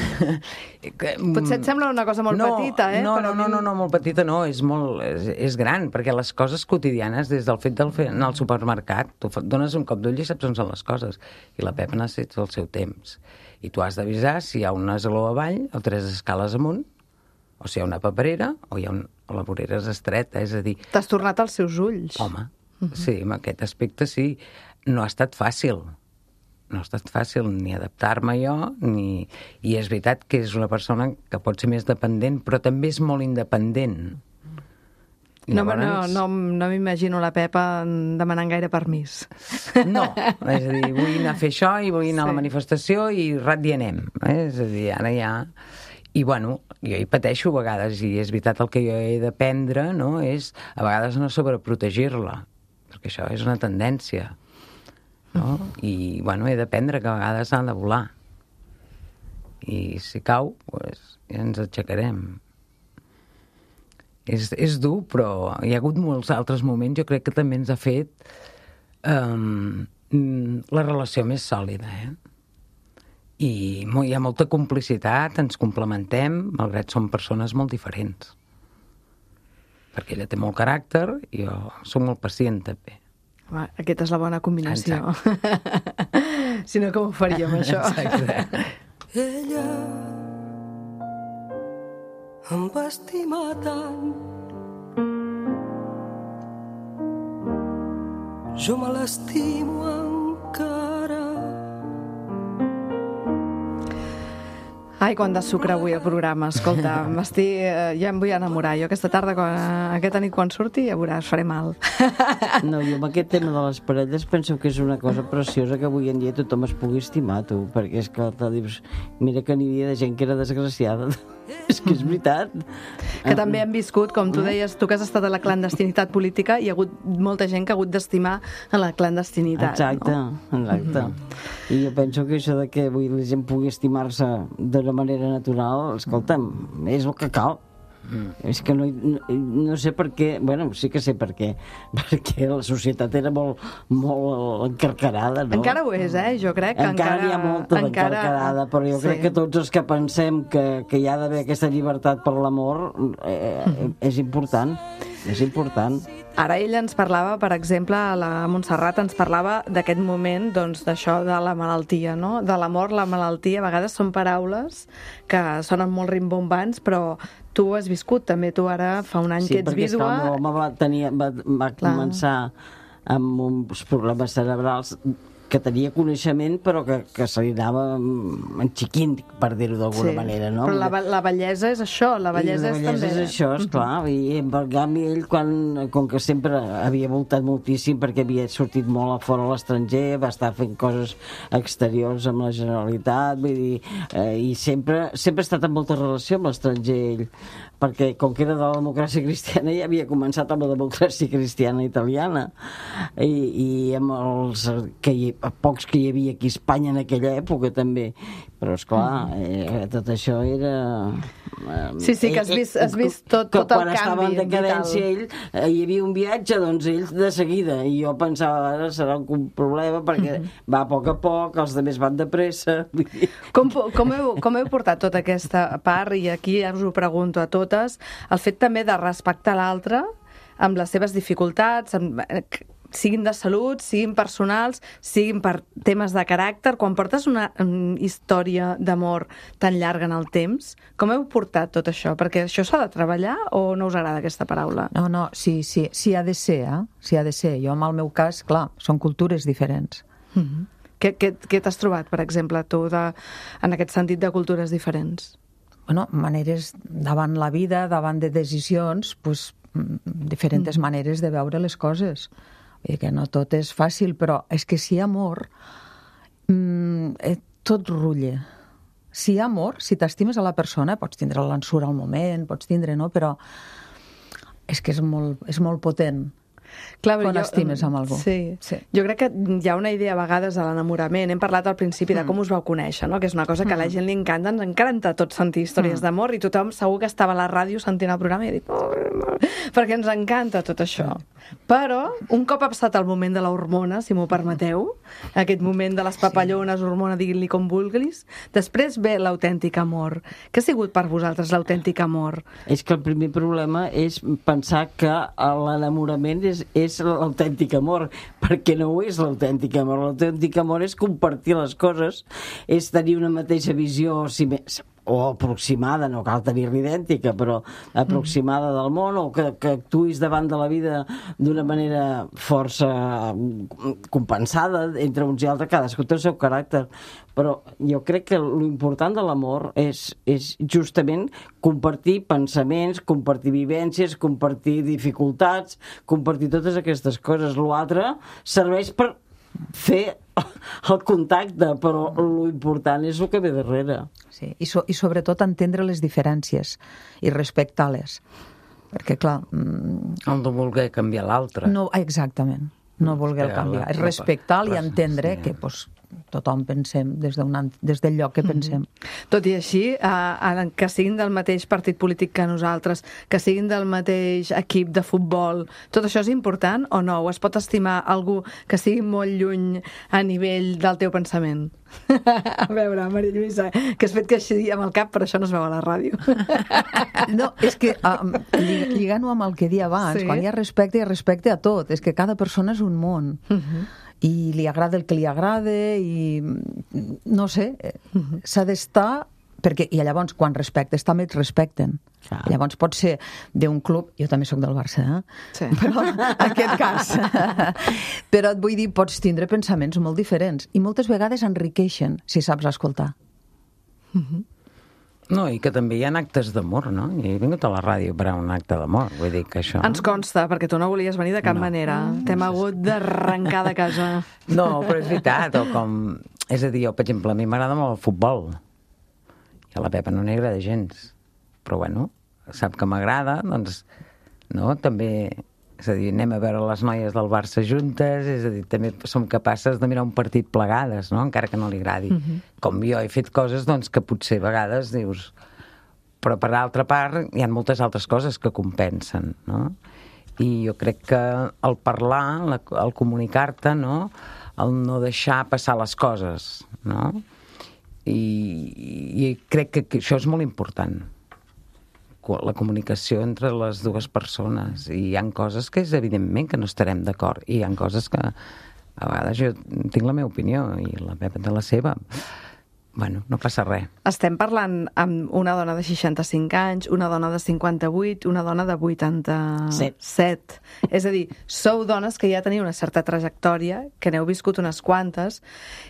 Potser et sembla una cosa molt no, petita, eh? No, Però no, no, no, no, molt petita no, és molt... És, és gran, perquè les coses quotidianes, des del fet del fer anar al supermercat, tu dones un cop d'ull i saps on són les coses. I la Pepa necessita el seu temps. I tu has d'avisar si hi ha un esglaó avall o tres escales amunt, o si hi ha una paperera, o hi ha un... o la vorera és estreta, és a dir... T'has tornat als seus ulls. Home, uh-huh. sí, en aquest aspecte sí. No ha estat fàcil. No ha estat fàcil ni adaptar-me jo, ni... I és veritat que és una persona que pot ser més dependent, però també és molt independent. No, llavors... no, no, no m'imagino la Pepa demanant gaire permís. No, és a dir, vull anar a fer això i vull anar sí. a la manifestació i rat i anem. Eh? És a dir, ara ja... I, bueno, jo hi pateixo a vegades, i és veritat el que jo he d'aprendre, no?, és a vegades no sobreprotegir-la, perquè això és una tendència. No? I, bueno, he d'aprendre que a vegades ha de volar. I si cau, pues, ja ens aixecarem. És, és dur, però hi ha hagut molts altres moments, jo crec que també ens ha fet um, la relació més sòlida, eh? I hi ha molta complicitat, ens complementem, malgrat som persones molt diferents. Perquè ella té molt caràcter i jo soc molt pacient, també. Va, aquesta és la bona combinació. Si no, com ho faríem, això? Exacte. Ella em va estimar tant, jo me l'estimo encara. Ai, quant de sucre avui al programa, escolta, m'estic, eh, ja em vull enamorar. Jo aquesta tarda, quan, aquesta nit quan surti, ja veuràs, faré mal. No, jo amb aquest tema de les parelles penso que és una cosa preciosa que avui en dia tothom es pugui estimar, tu, perquè és que te dius, mira que n'hi havia de gent que era desgraciada. És que és veritat. Que també hem viscut, com tu deies, tu que has estat a la clandestinitat política, hi ha hagut molta gent que ha hagut d'estimar a la clandestinitat. Exacte, no? exacte. I jo penso que això de que avui la gent pugui estimar-se d'una manera natural, escolta'm, és el que cal. Mm. És que no, no, no sé per què, bueno, sí que sé per què, perquè la societat era molt, molt encarcarada, no? Encara ho és, eh? Jo crec que encara... Encara n'hi ha molta d'encarcarada, però jo sí. crec que tots els que pensem que, que hi ha d'haver aquesta llibertat per l'amor eh, mm. és important, és important. Ara ella ens parlava, per exemple, la Montserrat ens parlava d'aquest moment, doncs, d'això de la malaltia, no? De l'amor, la malaltia, a vegades són paraules que sonen molt rimbombants, però tu ho has viscut també, tu ara fa un any sí, que ets vídua... Sí, perquè el meu home va, tenir, va, va començar amb uns problemes cerebrals que tenia coneixement però que, que se li anava enxiquint, per dir-ho d'alguna sí, manera, no? Però la, la bellesa és això, la bellesa, I la és bellesa també... és això, esclar, mm -hmm. i en canvi ell, quan, com que sempre havia voltat moltíssim perquè havia sortit molt a fora a l'estranger, va estar fent coses exteriors amb la Generalitat, vull dir, eh, i sempre, sempre ha estat en molta relació amb l'estranger ell, perquè com que era de la democràcia cristiana ja havia començat amb la democràcia cristiana italiana, i, i amb els que hi, pocs que hi havia aquí a Espanya en aquella època també, però esclar, eh, tot això era... Eh, sí, sí, que has vist, has vist tot, tot el canvi. Quan estava en decadència ell, eh, hi havia un viatge, doncs ell de seguida, i jo pensava, ara serà un problema perquè mm -hmm. va a poc a poc, els altres van de pressa. Com, com, heu, com heu portat tota aquesta part, i aquí ja us ho pregunto a totes, el fet també de respectar l'altre amb les seves dificultats, amb, siguin de salut, siguin personals, siguin per temes de caràcter. Quan portes una um, història d'amor tan llarga en el temps, com heu portat tot això? Perquè això s'ha de treballar o no us agrada aquesta paraula? No, no, sí, sí, sí ha de ser, eh? Sí ha de ser. Jo, en el meu cas, clar, són cultures diferents. Mm-hmm. Què, què, què t'has trobat, per exemple, tu, de, en aquest sentit de cultures diferents? Bueno, maneres davant la vida, davant de decisions, pues, diferents mm. maneres de veure les coses. Vull dir que no tot és fàcil, però és que si hi ha amor, mmm, tot rulla. Si hi ha amor, si t'estimes a la persona, pots tindre l'ensura al moment, pots tindre, no? Però és que és molt, és molt potent. Clar, quan jo, estimes amb algú. Sí. sí. Jo crec que hi ha una idea a vegades de l'enamorament. Hem parlat al principi de com us vau conèixer, no? Que és una cosa que a la gent li encanta. Ens encanta a tots sentir històries mm. d'amor, i tothom segur que estava a la ràdio sentint el programa i ha dit, oh, perquè ens encanta tot això. Però un cop ha passat el moment de l'hormona, si m'ho permeteu, aquest moment de les papallones, sí. hormona, diguin-li com vulguis, després ve l'autèntic amor. Què ha sigut per vosaltres l'autèntic amor? És que el primer problema és pensar que l'enamorament és és l'autèntic amor, perquè no ho és l'autèntic amor. L'autèntic amor és compartir les coses, és tenir una mateixa visió, si més, o aproximada, no cal tenir-la idèntica, però aproximada mm. del món, o que, que actuïs davant de la vida d'una manera força compensada entre uns i altres, cadascú té el seu caràcter. Però jo crec que l'important de l'amor és, és justament compartir pensaments, compartir vivències, compartir dificultats, compartir totes aquestes coses. L'altre serveix per fer el contacte, però l'important és el que ve darrere. Sí, i, so, i sobretot entendre les diferències i respectar-les. Perquè, clar... Mm, el no voler canviar l'altre. No, exactament, no voler el canviar. És respectar-lo i entendre sí. que pues, tothom pensem des, des del lloc que pensem. Mm-hmm. Tot i així, eh, que siguin del mateix partit polític que nosaltres, que siguin del mateix equip de futbol, tot això és important o no? O es pot estimar algú que sigui molt lluny a nivell del teu pensament? A veure, Maria Lluïsa, que has fet que així amb el cap, però això no es veu a la ràdio. No, és que um, lligant-ho amb el que dia abans, sí. quan hi ha respecte, hi ha respecte a tot. És que cada persona és un món. Uh-huh. I li agrada el que li agrada i no sé, uh-huh. s'ha d'estar perquè, i llavors quan respectes també et respecten. Ah. Llavors pot ser d'un club, jo també sóc del Barça, eh? Sí. Però en aquest cas però et vull dir, pots tindre pensaments molt diferents i moltes vegades enriqueixen si saps escoltar. Uh-huh. No, i que també hi ha actes d'amor, no? I he vingut a la ràdio per a un acte d'amor, vull dir que això... Ens consta, perquè tu no volies venir de cap no. manera. T'hem hagut d'arrencar de casa. No, però és veritat, o com... És a dir, jo, per exemple, a mi m'agrada molt el futbol. I a la Pepa no n'hi agrada gens. Però, bueno, sap que m'agrada, doncs, no, també... És a dir, anem a veure les noies del Barça juntes, és a dir, també som capaces de mirar un partit plegades, no?, encara que no li agradi. Uh-huh. Com jo he fet coses, doncs, que potser a vegades dius... Però, per altra part, hi ha moltes altres coses que compensen, no? I jo crec que el parlar, la, el comunicar-te, no?, el no deixar passar les coses, no? I, i crec que, que això és molt important, la comunicació entre les dues persones, i hi ha coses que és evidentment que no estarem d'acord, i hi ha coses que a vegades jo tinc la meva opinió i la Pepa té la seva. Bueno, no passa res. Estem parlant amb una dona de seixanta-cinc anys, una dona de cinquanta-vuit, una dona de vuitanta-set. Set. És a dir, sou dones que ja teniu una certa trajectòria, que n'heu viscut unes quantes,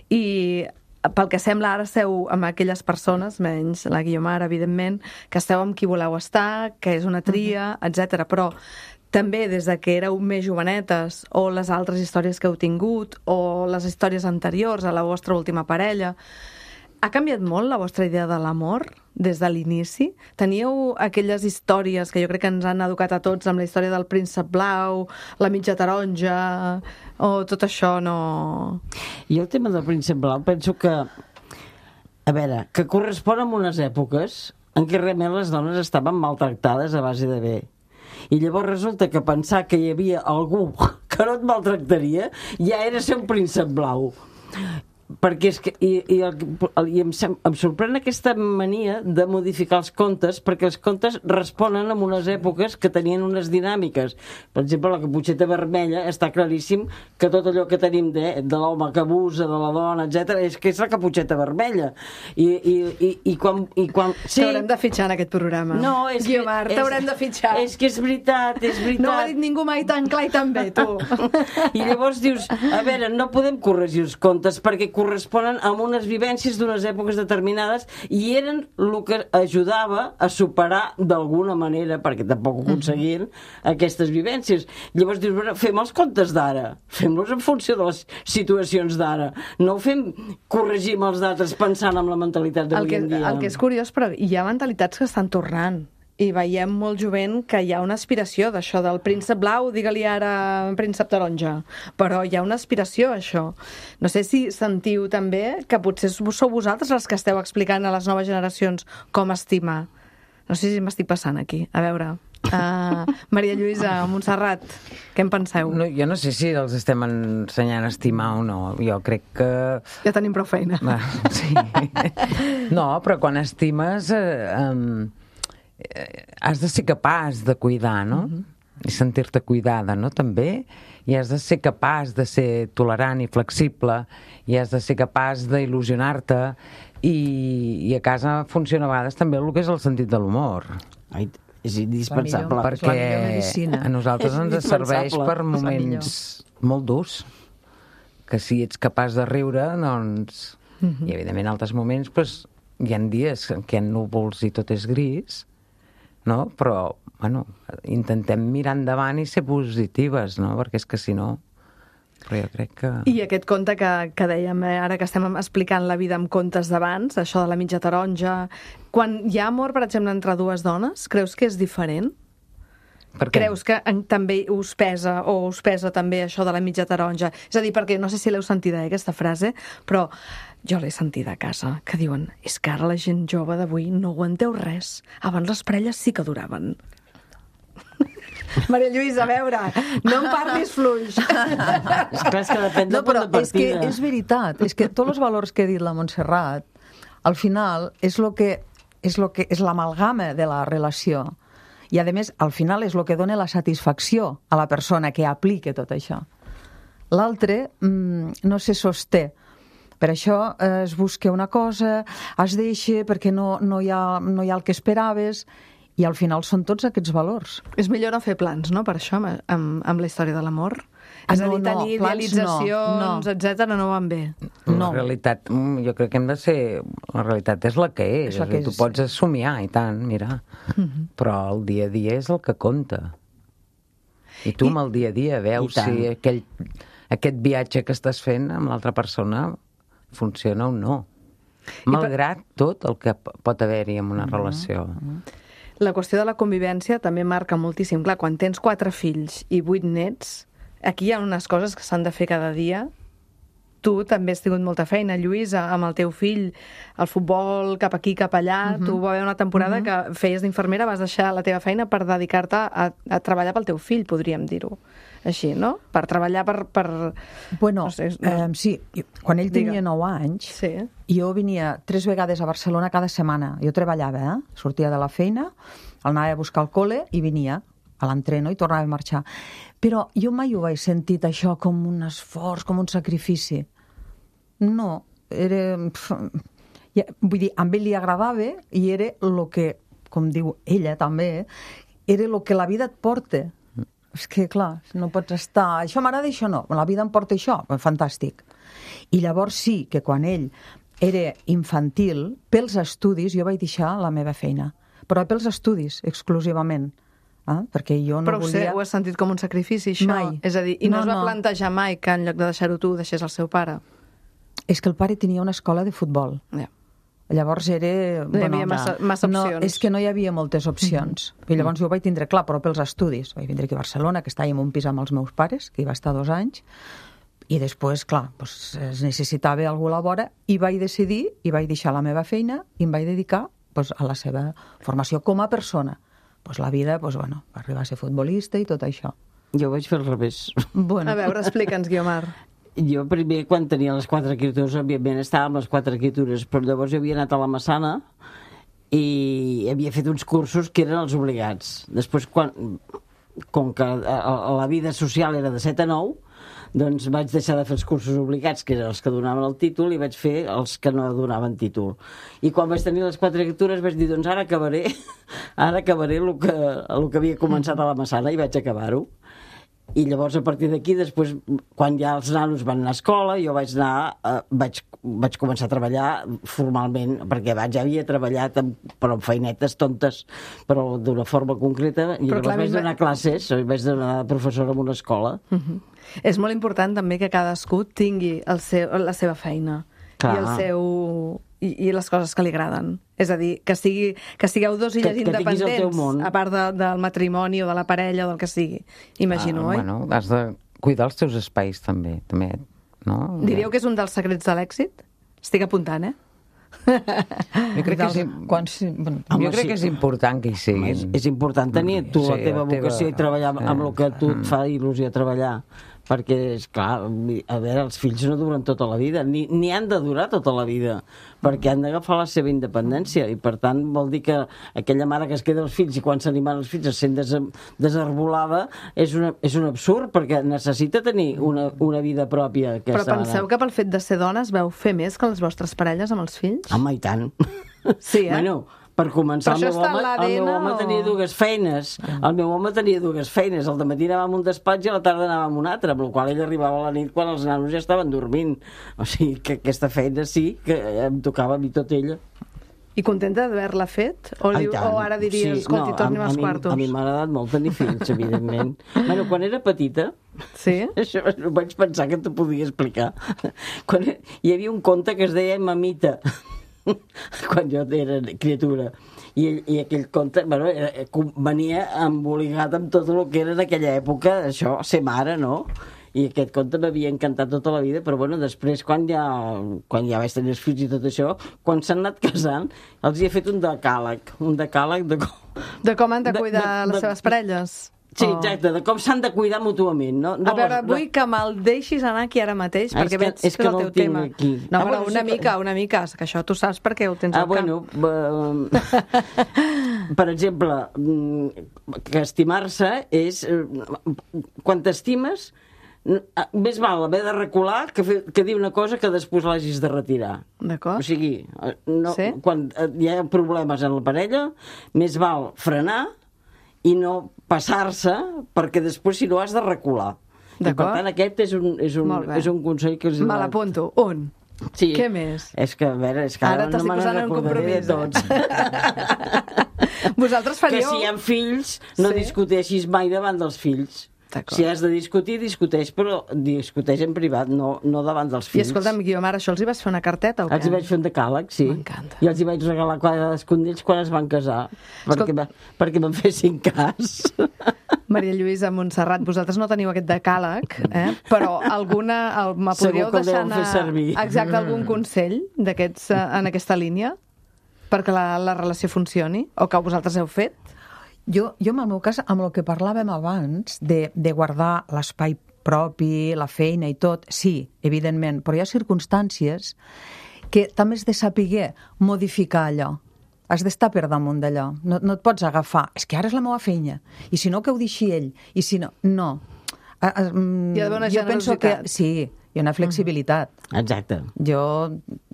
i pel que sembla ara esteu amb aquelles persones, menys la Guiomar, evidentment, que esteu amb qui voleu estar, que és una tria, uh-huh. etcètera. Però també des de que éreu més jovenetes, o les altres històries que heu tingut, o les històries anteriors a la vostra última parella, ha canviat molt la vostra idea de l'amor des de l'inici? Teníeu aquelles històries que jo crec que ens han educat a tots amb la història del príncep blau, la mitja taronja, o tot això no... I el tema del príncep blau penso que, a veure, que correspon amb unes èpoques en què realment les dones estaven maltractades a base de bé. I llavors resulta que pensar que hi havia algú que no et maltractaria ja era ser un príncep blau. Perquè és que i, i, el, i em, em sorprèn aquesta mania de modificar els contes, perquè els contes responen a unes èpoques que tenien unes dinàmiques. Per exemple, la Caputxeta Vermella està claríssim que tot allò que tenim de, de l'home que abusa, de la dona, etcètera, és que és la Caputxeta Vermella. I, i, i, i quan... I quan sí, t'haurem de fitxar en aquest programa. No, és Guiomar, que... t'haurem de fitxar. És que és veritat, és veritat. No ho ha dit ningú mai tan clar i tan bé, tu. I llavors dius, a veure, no podem corregir els contes perquè corresponen a unes vivències d'unes èpoques determinades i eren el que ajudava a superar d'alguna manera, perquè tampoc ho aconseguien, aquestes vivències. Llavors dius, bueno, fem els contes d'ara, fem-los en funció de les situacions d'ara, no ho fem corregir amb els d'altres pensant en la mentalitat d'avui en dia. El que és curiós, però hi ha mentalitats que estan tornant. I veiem molt jovent que hi ha una aspiració d'això del príncep blau, digue-li ara príncep taronja, però hi ha una aspiració a això. No sé si sentiu també que potser sou vosaltres les que esteu explicant a les noves generacions com estimar. No sé si m'estic passant aquí. A veure, uh, Maria Lluïsa, Montserrat, què en penseu? No, jo no sé si els estem ensenyant a estimar o no. Jo crec que... Ja tenim prou feina. Va, sí. No, però quan estimes... Eh, um... has de ser capaç de cuidar, no? Uh-huh. I sentir-te cuidada, no? També. I has de ser capaç de ser tolerant i flexible, i has de ser capaç d'il·lusionar-te, i, i a casa funciona a vegades també el que és el sentit de l'humor. Ai, és indispensable. Perquè a nosaltres ens serveix per moments molt durs. Que si ets capaç de riure, doncs... Uh-huh. I evidentment en altres moments pues, hi ha dies en què hi ha núvols i tot és gris, no? Però, bueno, intentem mirar endavant i ser positives, no? Perquè és que si no... Però jo crec que... I aquest conte que, que dèiem, eh, ara que estem explicant la vida amb contes d'abans, això de la mitja taronja, quan hi ha amor, per exemple, entre dues dones, creus que és diferent? Per què? Creus que en, també us pesa, o us pesa també això de la mitja taronja? És a dir, perquè no sé si l'heu sentida, eh, aquesta frase, però jo l'he sentida a casa, que diuen, és que ara la gent jove d'avui no aguanteu res. Abans les parelles sí que duraven. Maria Lluïsa, a veure, no em parlis fluix. És clar, és que depèn del no, però punt de és que partida. és veritat, és que tots els valors que ha dit la Montserrat, al final és lo que és lo que és l'amalgama de la relació. I, a més, al final és el que dona la satisfacció a la persona que aplica tot això. L'altre mmm, no se sosté. Per això eh, es busca una cosa, es deixa perquè no, no, hi ha, no hi ha el que esperaves, I al final són tots aquests valors. És millor no fer plans, no?, per això, amb, amb, amb la història de l'amor. Ah, És a no, dir, no, tenir plans idealitzacions, no, no. etcètera, no van bé. La No. realitat, mm, jo crec que hem de ser... La realitat és la que és. És la És que tu és. pots somiar, i tant, mira. Mhm. Però el dia a dia és el que compta. I tu, I- amb el dia a dia, veus I tant. si aquell, aquest viatge que estàs fent amb l'altra persona funciona o no. Malgrat tot el que p- pot haver-hi en una relació. La qüestió de la convivència també marca moltíssim. Clar, quan tens quatre fills i vuit nets, aquí hi ha unes coses que s'han de fer cada dia. Tu també has tingut molta feina, Lluïsa, amb el teu fill, el futbol cap aquí, cap allà. Tu va haver una temporada uh -huh. que feies d'infermera, vas deixar la teva feina per dedicar-te a, a treballar pel teu fill, podríem dir-ho. Així, no? Per treballar per... per... Bueno, No sé, no. eh, sí, quan ell Digue. tenia nou anys, Sí. jo venia tres vegades a Barcelona cada setmana. Jo treballava, eh? Sortia de la feina, el anava a buscar al col·le i venia a l'entreno i tornava a marxar. Però jo mai ho vaig sentit això com un esforç, com un sacrifici. No, era... pf, ja, vull dir, a ell li agradava i era el que, com diu ella també, era el que la vida et porta. És que, clar, no pots estar... Això m'agrada, això no. La vida em porta això. Fantàstic. I llavors sí que quan ell era infantil, pels estudis, jo vaig deixar la meva feina. Però pels estudis, exclusivament. Eh? Perquè jo no Però ho, sé, volia... ho has sentit com un sacrifici, això? Mai. És a dir, i no, No, es va no. plantejar mai que en lloc de deixar-ho tu, deixés el seu pare? És que el pare tenia una escola de futbol. Ja. Llavors era... No hi havia massa- massa no, opcions. és que no hi havia moltes opcions. Mm -hmm. I llavors jo ho vaig tindre clar, però pels estudis. Vaig vindre aquí a Barcelona, que estàvem en un pis amb els meus pares, que hi va estar dos anys, i després, clar, doncs, es necessitava algú a la vora, i vaig decidir, i vaig deixar la meva feina, i em vaig dedicar doncs, a la seva formació com a persona. Doncs la vida, doncs, bueno, va arribar a ser futbolista i tot això. Jo ho vaig fer al revés. Bueno, A veure, explica'ns, Guiomar. Jo primer, quan tenia les quatre escritures, òbviament estava amb les quatre escritures, però llavors jo havia anat a la Massana i havia fet uns cursos que eren els obligats. Després, quan, com que a, a la vida social era de set a nou, doncs vaig deixar de fer els cursos obligats, que eren els que donaven el títol, i vaig fer els que no donaven títol. I quan vaig tenir les quatre escritures vaig dir, doncs ara acabaré, ara acabaré el que, el que havia començat a la Massana, i vaig acabar-ho. I llavors, a partir d'aquí, després, quan ja els nanos van anar a escola, jo vaig anar, eh, vaig, vaig començar a treballar formalment, perquè abans ja havia treballat amb, però amb feinetes tontes, però d'una forma concreta, i Però llavors clar, vaig a mi donar classes, vaig donar professora en una escola. Uh -huh. És molt important també que cadascú tingui el seu, la seva feina Clar. i el seu i, i les coses que li agraden. És a dir, que, sigui, que sigueu dos illes Que- que tinguis el teu independents, món. a part de, del matrimoni o de la parella o del que sigui. Imagino, Ah, oi? Bueno, has de cuidar els teus espais, també. també no? Diríeu que és un dels secrets de l'èxit? Estic apuntant, eh? Jo crec que és, Quan, sí, bueno, Home, jo crec sí. que és important que hi Home, siguin. és, és important tenir tu la Sí, teva la teva- vocació i treballar sí. amb el que a tu et fa il·lusió treballar, perquè, és clar, a veure, els fills no duren tota la vida, ni, ni han de durar tota la vida, perquè han d'agafar la seva independència, i per tant vol dir que aquella mare que es queda els fills i quan s'animen els fills es sent des, desarbolada, és, una, és un absurd, perquè necessita tenir una, una vida pròpia, aquesta Però penseu mare. que pel fet de ser dones veu fer més que les vostres parelles amb els fills? Home, i tant. Sí, eh? Bueno, per començar, Però el això meu, està en home, el meu l'A D N home o- tenia dues feines. El meu home tenia dues feines. Al matí anava a un despatx i a la tarda anava a un altre, amb la qual ell arribava a la nit quan els nanos ja estaven dormint. O sigui que aquesta feina sí que em tocava a mi tot ella. I contenta d'haver-la fet? O, Ai, diu, tant. o ara diries, Sí, escolti, no, torni a- a als mi- quartos? A mi m'ha agradat molt tenir fills, evidentment. Bueno, quan era petita, Sí? això vaig pensar que t'ho podia explicar. Quan hi havia un conte que es deia Mamita, quan jo era criatura. I, i aquell conte, bueno, era, venia emboligat amb tot el que era en aquella època, això, ser mare, no? I aquest conte m'havia encantat tota la vida, però bueno, després quan ja, quan ja vaig tenir els fills i tot això, quan s'han anat casant, els hi he fet un decàleg, un decàleg de com... De com han de De- cuidar de- les de- seves parelles? Sí, O- exacte, de com s'han de cuidar mútuament, no? no A veure, les- vull que me'l deixis anar aquí ara mateix, Ah, perquè és que- veig és que el no teu el tinc tema. aquí. No, Ah, però bueno, una sí que- mica, una mica, que això tu saps perquè ho tens Ah, al bueno, camp. eh, per exemple, mm, que estimar-se és... eh, quan t'estimes, més val haver de recular que, fer, que dir una cosa que després l'hagis de retirar. D'acord. O sigui, no, Sí. quan hi ha problemes en la parella, més val frenar i no passar-se, perquè després si no has de recular. I per D'acord. tant aquest és un, és un, Molt bé. és un consell que els he Me donat. l'apunto. Un. Sí. Què més? És que, a veure, és que Ara ara, t'estic no me posant en recordaré de compromís, tots. Vosaltres Que faríeu... si hi ha fills, no Sí. discuteixis mai davant dels fills. D'acord. Si has de discutir, discuteix, però discuteix en privat, no, no davant dels I fills. escolta'm, Guiomar, això els hi vas fer una carteta o què? Els hi vaig fer un decàleg, sí. M'encanta. I els hi vaig regalar cadascun d'ells quan es van casar, perquè, va, perquè me'n fessin cas. Maria Lluïsa Montserrat, vosaltres no teniu aquest decàleg, eh? Però alguna... El, me Segur podríeu que el deixar deuen fer anar servir. exacte algun consell d'aquests eh, en aquesta línia perquè la, la relació funcioni? O que vosaltres heu fet? Jo, jo, en el meu cas, amb el que parlàvem abans, de, de guardar l'espai propi, la feina i tot, sí, evidentment, però hi ha circumstàncies que també has de saber modificar allò. Has d'estar per damunt d'allò. No, no et pots agafar. És que ara és la meva feina. I si no, que ho deixi ell. I si no... No. A, a, Hi ha d'haver una jo penso que generositat. sí, hi ha una flexibilitat. Exacte. Jo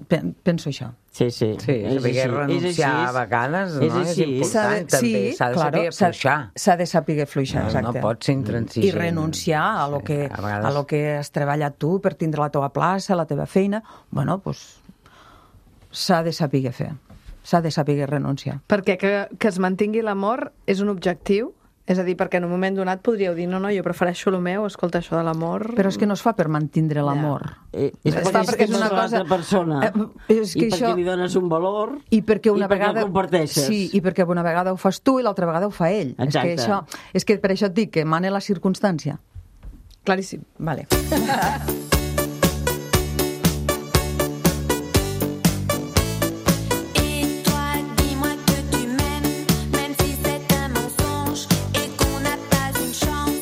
pe penso això. Sí, sí. Sí, és saber així, renunciar és així. a vegades, És no? així. És S'ha de, important, també. S'ha de saber s'ha- afluixar. S'ha de saber fluixar, No, exacte. no pot ser intransigent. I renunciar a lo, Sí, que, a vegades- a lo que has treballat tu per tindre la teva plaça, la teva feina. Bueno, doncs s'ha de saber fer. S'ha de saber renunciar. Perquè que, que es mantingui l'amor és un objectiu? És a dir, perquè en un moment donat podríeu dir no, no, jo prefereixo el meu, escolta, això de l'amor... Però és que no es fa per mantindre l'amor. Eh, és Es perquè, fa és, perquè és és una una cosa- cosa... persona. Eh, és que I perquè això- li dones un valor I perquè una i perquè vegada... el comparteixes. Sí, i perquè una vegada ho fas tu i l'altra vegada ho fa ell. És que, Exacte. això, és que per això et dic que mane la circumstància. Claríssim. Vale. Et toi, dis-moi que tu m'aimes, même si c'est un mensonge et qu'on n'a pas une chance.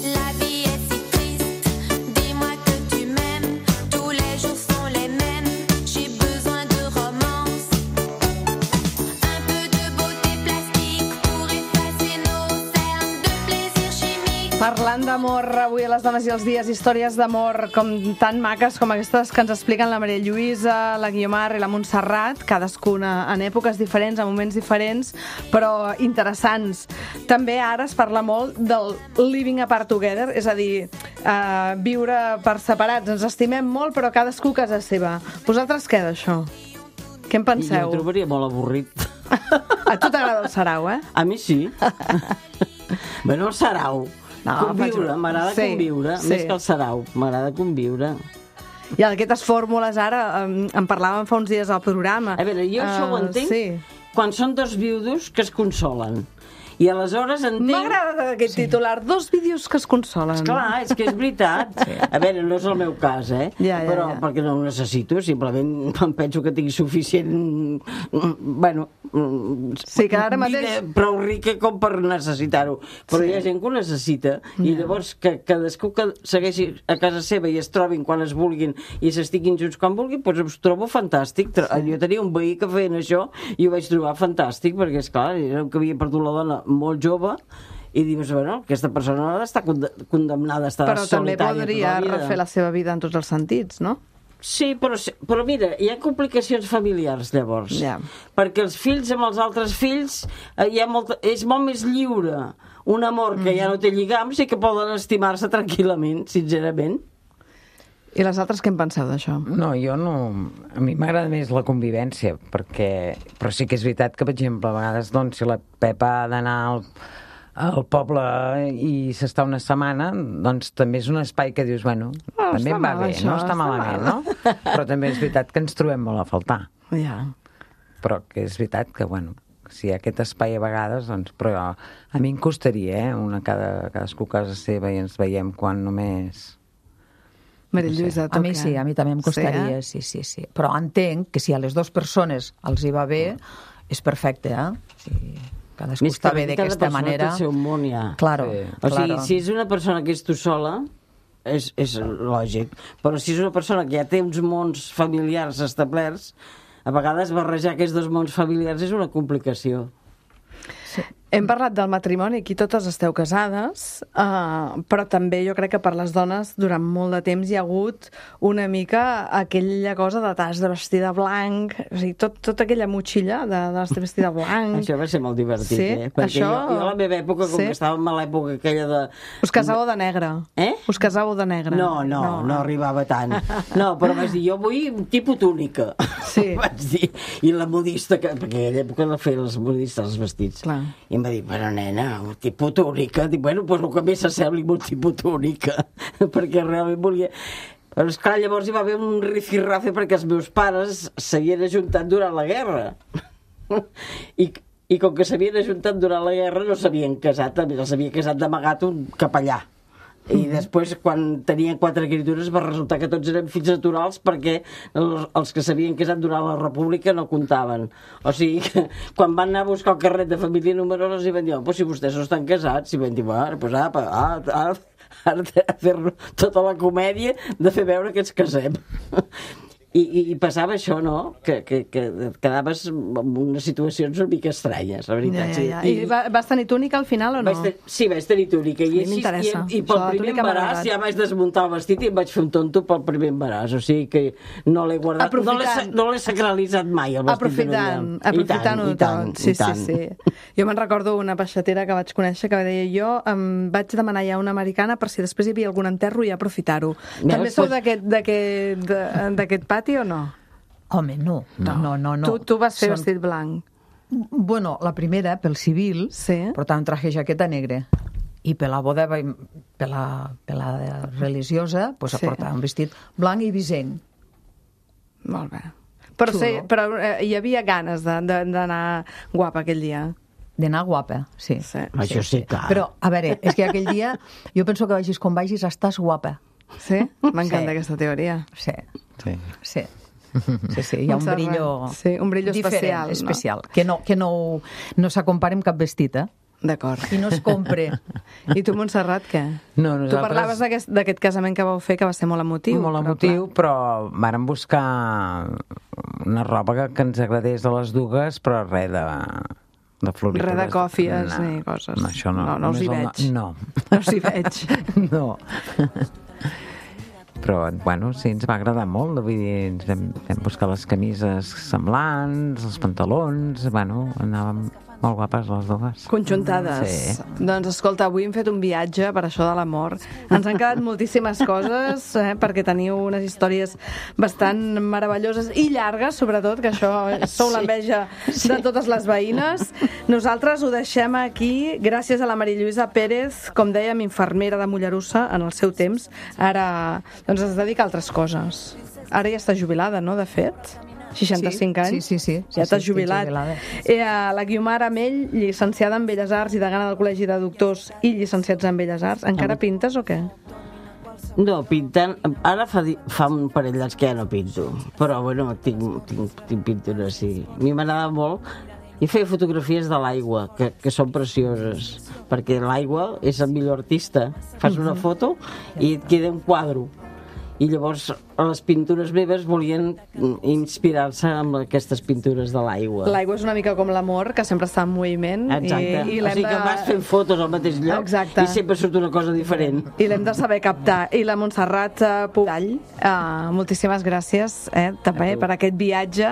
La vie est si triste. Dis-moi que tu m'aimes, tous les jours sont les mêmes. J'ai besoin de romance, un peu de beauté plastique pour effacer nos cernes de plaisir chimique. Parlant d'amor avui a les dones i els dies, històries d'amor com tan maques com aquestes que ens expliquen la Maria Lluïsa, la Guiomar i la Montserrat, cadascuna en èpoques diferents, en moments diferents, però interessants. També ara es parla molt del living apart together, és a dir, eh, viure per separats. Ens estimem molt, però cadascú a casa seva. Vosaltres què d'això? Què en I jo penseu? ho trobaria molt avorrit. A tu t'agrada el sarau, eh? A mi sí. Bueno, el sarau. No, conviure, faig- m'agrada sí, conviure, sí. més que el sarau. M'agrada conviure. I aquestes fórmules ara, em, en parlàvem fa uns dies al programa. A veure, jo això ho Eh, entenc Sí. quan són dos viudos que es consolen. I aleshores entenc... M'agrada aquest titular, dos vídeos que es consolen. Esclar, és que és veritat. Sí. A veure, no és el meu cas, eh? Ja, ja, Però ja. perquè no ho necessito, simplement em penso que tinc suficient... Bueno... Sí, que ara mateix- vida prou rica com per necessitar-ho. Però Sí. hi ha gent que ho necessita. I llavors que cadascú que segueixi a casa seva i es trobin quan es vulguin i s'estiguin junts quan vulguin, doncs ho trobo fantàstic. Sí. Jo tenia un veí que feien això i ho vaig trobar fantàstic, perquè, esclar, era que havia perdut la dona molt jove i dius, bueno, aquesta persona no ha d'estar conde- condemnada a estar Però també solitària podria tota la vida. refer la seva vida en tots els sentits, no? Sí, però, però mira, hi ha complicacions familiars, llavors. Ja. Perquè els fills amb els altres fills eh, hi ha molta, és molt més lliure un amor que ja no té lligams i que poden estimar-se tranquil·lament, sincerament. I les altres què en penseu d'això? No, jo no... A mi m'agrada més la convivència, perquè... Però sí que és veritat que, per exemple, a vegades, doncs, si la Pepa ha d'anar al, al poble i s'està una setmana, doncs també és un espai que dius, bueno, Oh, també està em va mal, bé, això, no està està malament, mal. no? Però també és veritat que ens trobem molt a faltar. Ja. Però que és veritat que, bueno, si hi ha aquest espai a vegades, doncs... Però a mi em costaria, eh? Una cada, cadascú a casa seva i ens veiem quan només... Maria Lluïsa, tu A mi què? sí, a mi també em costaria, Sí, sí, sí, sí. Però entenc que si a les dues persones els hi va bé, és perfecte, eh? Si cadascú Més està que bé cada d'aquesta persona manera... té el seu món, ja. Claro, Sí. O sigui, claro. si és una persona que és tu sola, és, és lògic. Però si és una persona que ja té uns mons familiars establerts, a vegades barrejar aquests dos mons familiars és una complicació. Hem parlat del matrimoni, aquí totes esteu casades, uh, però també jo crec que per les dones durant molt de temps hi ha hagut una mica aquella cosa de t'has de vestir de blanc, o sigui, tot, tota aquella motxilla de, de vestir vestir de blanc. Això va ser molt divertit, sí? eh? Perquè això... jo, jo a la meva època, com sí? que estàvem a l'època aquella de... Us casàveu de negre? Eh? Us casàveu de negre? No, no, no, no arribava tant. No, però vaig dir, jo vull un tipus túnica. Sí. Vaig dir, i la modista, que, perquè a aquella època la feien els modistes els vestits. Clar. I em va dir, però nena, un tipus túnica. Dic, bueno, doncs el que més s'assembli un tipus túnica. Perquè realment volia... Però esclar, llavors hi va haver un rifirrafe perquè els meus pares s'havien ajuntat durant la guerra. I, i com que s'havien ajuntat durant la guerra no s'havien casat, els havia casat d'amagat un capellà. I després, quan tenien quatre criatures, va resultar que tots eren fills naturals perquè els, els que s'havien casat durant la República no comptaven. O sigui, que quan van anar a buscar el carnet de família numerosa i van dir, oh, pues si vostès no estan casats, i van dir, bueno, pues apa, ara, ara, ara de fer tota la comèdia de fer veure que ens casem. I, i, i passava això, no? Que, que, que quedaves en unes situacions una mica estranyes, la veritat. Ja, ja, ja. I, I va, vas tenir túnica al final o no? Vaig ten... Sí, vaig tenir túnica. I, així, i, i pel primer embaràs ja vaig desmuntar el vestit i em vaig fer un tonto pel primer embaràs. O sigui que no l'he guardat, aprofitant... no l'he sacralitzat mai, el vestit aprofitant, de novia. Aprofitant-ho tot. Sí, sí, sí. Jo me'n recordo una peixatera que vaig conèixer que deia jo em vaig demanar ja una americana per si després hi havia algun enterro i aprofitar-ho. També sou d'aquest pati o no? Home, no. No, no, no. no. Tu, tu vas fer Són... vestit blanc. Bueno, la primera, pel civil, sí. portava un traje jaqueta negre. I per la boda, per la, per la religiosa, pues, sí. portava un vestit blanc i visenc. Molt bé. Però, sí, però eh, hi havia ganes d'anar guapa aquell dia. D'anar guapa, sí. sí. Això sí, clar. Però, a veure, és que aquell dia, jo penso que vagis com vagis, estàs guapa. Sí? M'encanta sí. aquesta teoria. Sí. Sí. Sí. Sí, sí, hi ha un brillo, sí, un brillo diferent, especial, especial no? que no, que no, no s'acompara amb cap vestit, eh? D'acord. I no es compre. I tu, Montserrat, què? No, nosaltres... Tu parlaves d'aquest casament que vau fer, que va ser molt emotiu. Molt emotiu, però, però vàrem buscar una roba que, que ens agradés a les dues, però res de... de floritures. Res de còfies no, ni coses. No, això no. No, no us hi veig. No. No us hi veig. No. Però, bueno, sí, ens va agradar molt, vull dir, ens vam, vam buscar les camises semblants, els pantalons, bueno, anàvem molt guapes les dues. Conjuntades. Sí. Doncs, escolta, avui hem fet un viatge per això de l'amor. Ens han quedat moltíssimes coses, eh, perquè teniu unes històries bastant meravelloses i llargues, sobretot, que això sou sí. l'enveja sí. de totes les veïnes. Nosaltres ho deixem aquí, gràcies a la Maria Lluïsa Pérez, com dèiem, infermera de Mollerussa en el seu temps. Ara doncs es dedica a altres coses. Ara ja està jubilada, no?, de fet? seixanta-cinc anys. Sí, sí, sí. Ja sí, t'has sí, jubilat. Eh, la Guiomar Amell, llicenciada en Belles Arts i degana del Col·legi de Doctors i llicenciats en Belles Arts. Encara pintes o què? No, pintant... Ara fa, fa un parell d'anys que ja no pinto. Però, bueno, tinc, tinc, tinc pintures, sí. A mi m'agrada molt. I feia fotografies de l'aigua, que, que són precioses, perquè l'aigua és el millor artista. Fas una foto i et queda un quadre. I llavors les pintures meves volien inspirar-se amb aquestes pintures de l'aigua. L'aigua és una mica com l'amor, que sempre està en moviment. Exacte. I, i o sigui que vas fent fotos al mateix lloc. Exacte. I sempre surt una cosa diferent. I l'hem de saber captar. I la Montserrat Pugall, uh, moltíssimes gràcies eh, també per aquest viatge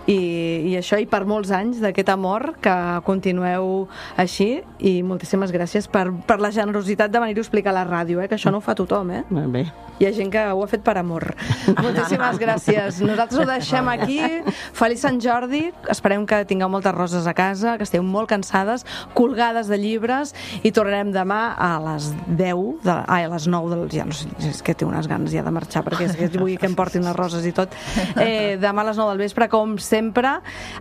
i, i això, i per molts anys d'aquest amor, que continueu així, i moltíssimes gràcies per, per la generositat de venir-ho a explicar a la ràdio, eh, que això no ho fa tothom, eh? Molt bé. Hi ha gent que ho ha fet per amor. Moltíssimes gràcies. Nosaltres ho deixem aquí. Feliç Sant Jordi. Esperem que tingueu moltes roses a casa, que esteu molt cansades, colgades de llibres, i tornarem demà a les deu, de, ai, a les nou, del, ja no sé, és que té unes ganes ja de marxar, perquè és que vull que em portin les roses i tot. Eh, demà a les nou del vespre, com sempre,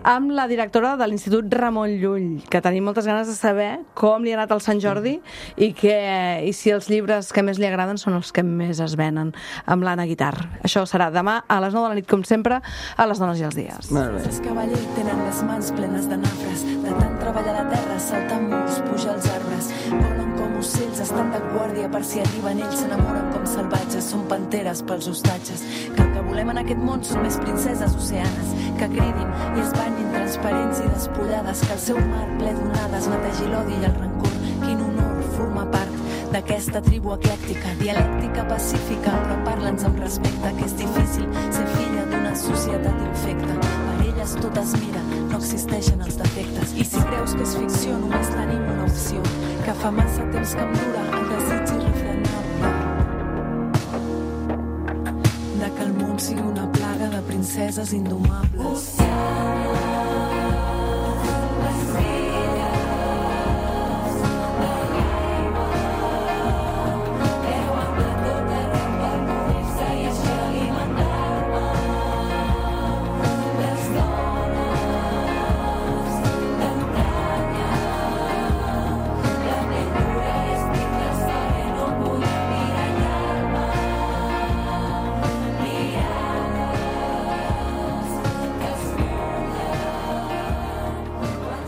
amb la directora de l'Institut Ramon Llull, que tenim moltes ganes de saber com li ha anat al Sant Jordi i, que, i si els llibres que més li agraden són els que més es venen, amb l'Anna Guitar. Això serà demà a les nou de la nit, com sempre, a Les Dones i els Dies. Els cavallers tenen les mans plenes de nafres, de tant treballar la terra, saltar murs, pujar els arbres, volen com ocells, estan de guàrdia per si arriben ells, s'enamoren com salvatges, són panteres pels hostatges, que el que volem en aquest món són més princeses oceanes, que cridin i es banyin entre transparents i despullades, que el seu mar ple d'onades netegi l'odi i el rancor. Quin honor formar part d'aquesta tribu eclèctica, dialèctica pacífica, però parla'ns amb respecte, que és difícil ser filla d'una societat infecta. Per elles tot es mira, no existeixen els defectes. I si creus que és ficció, només tenim una opció, que fa massa temps que em dura el desig irrefrenable de que el món sigui una plaga de princeses indomables.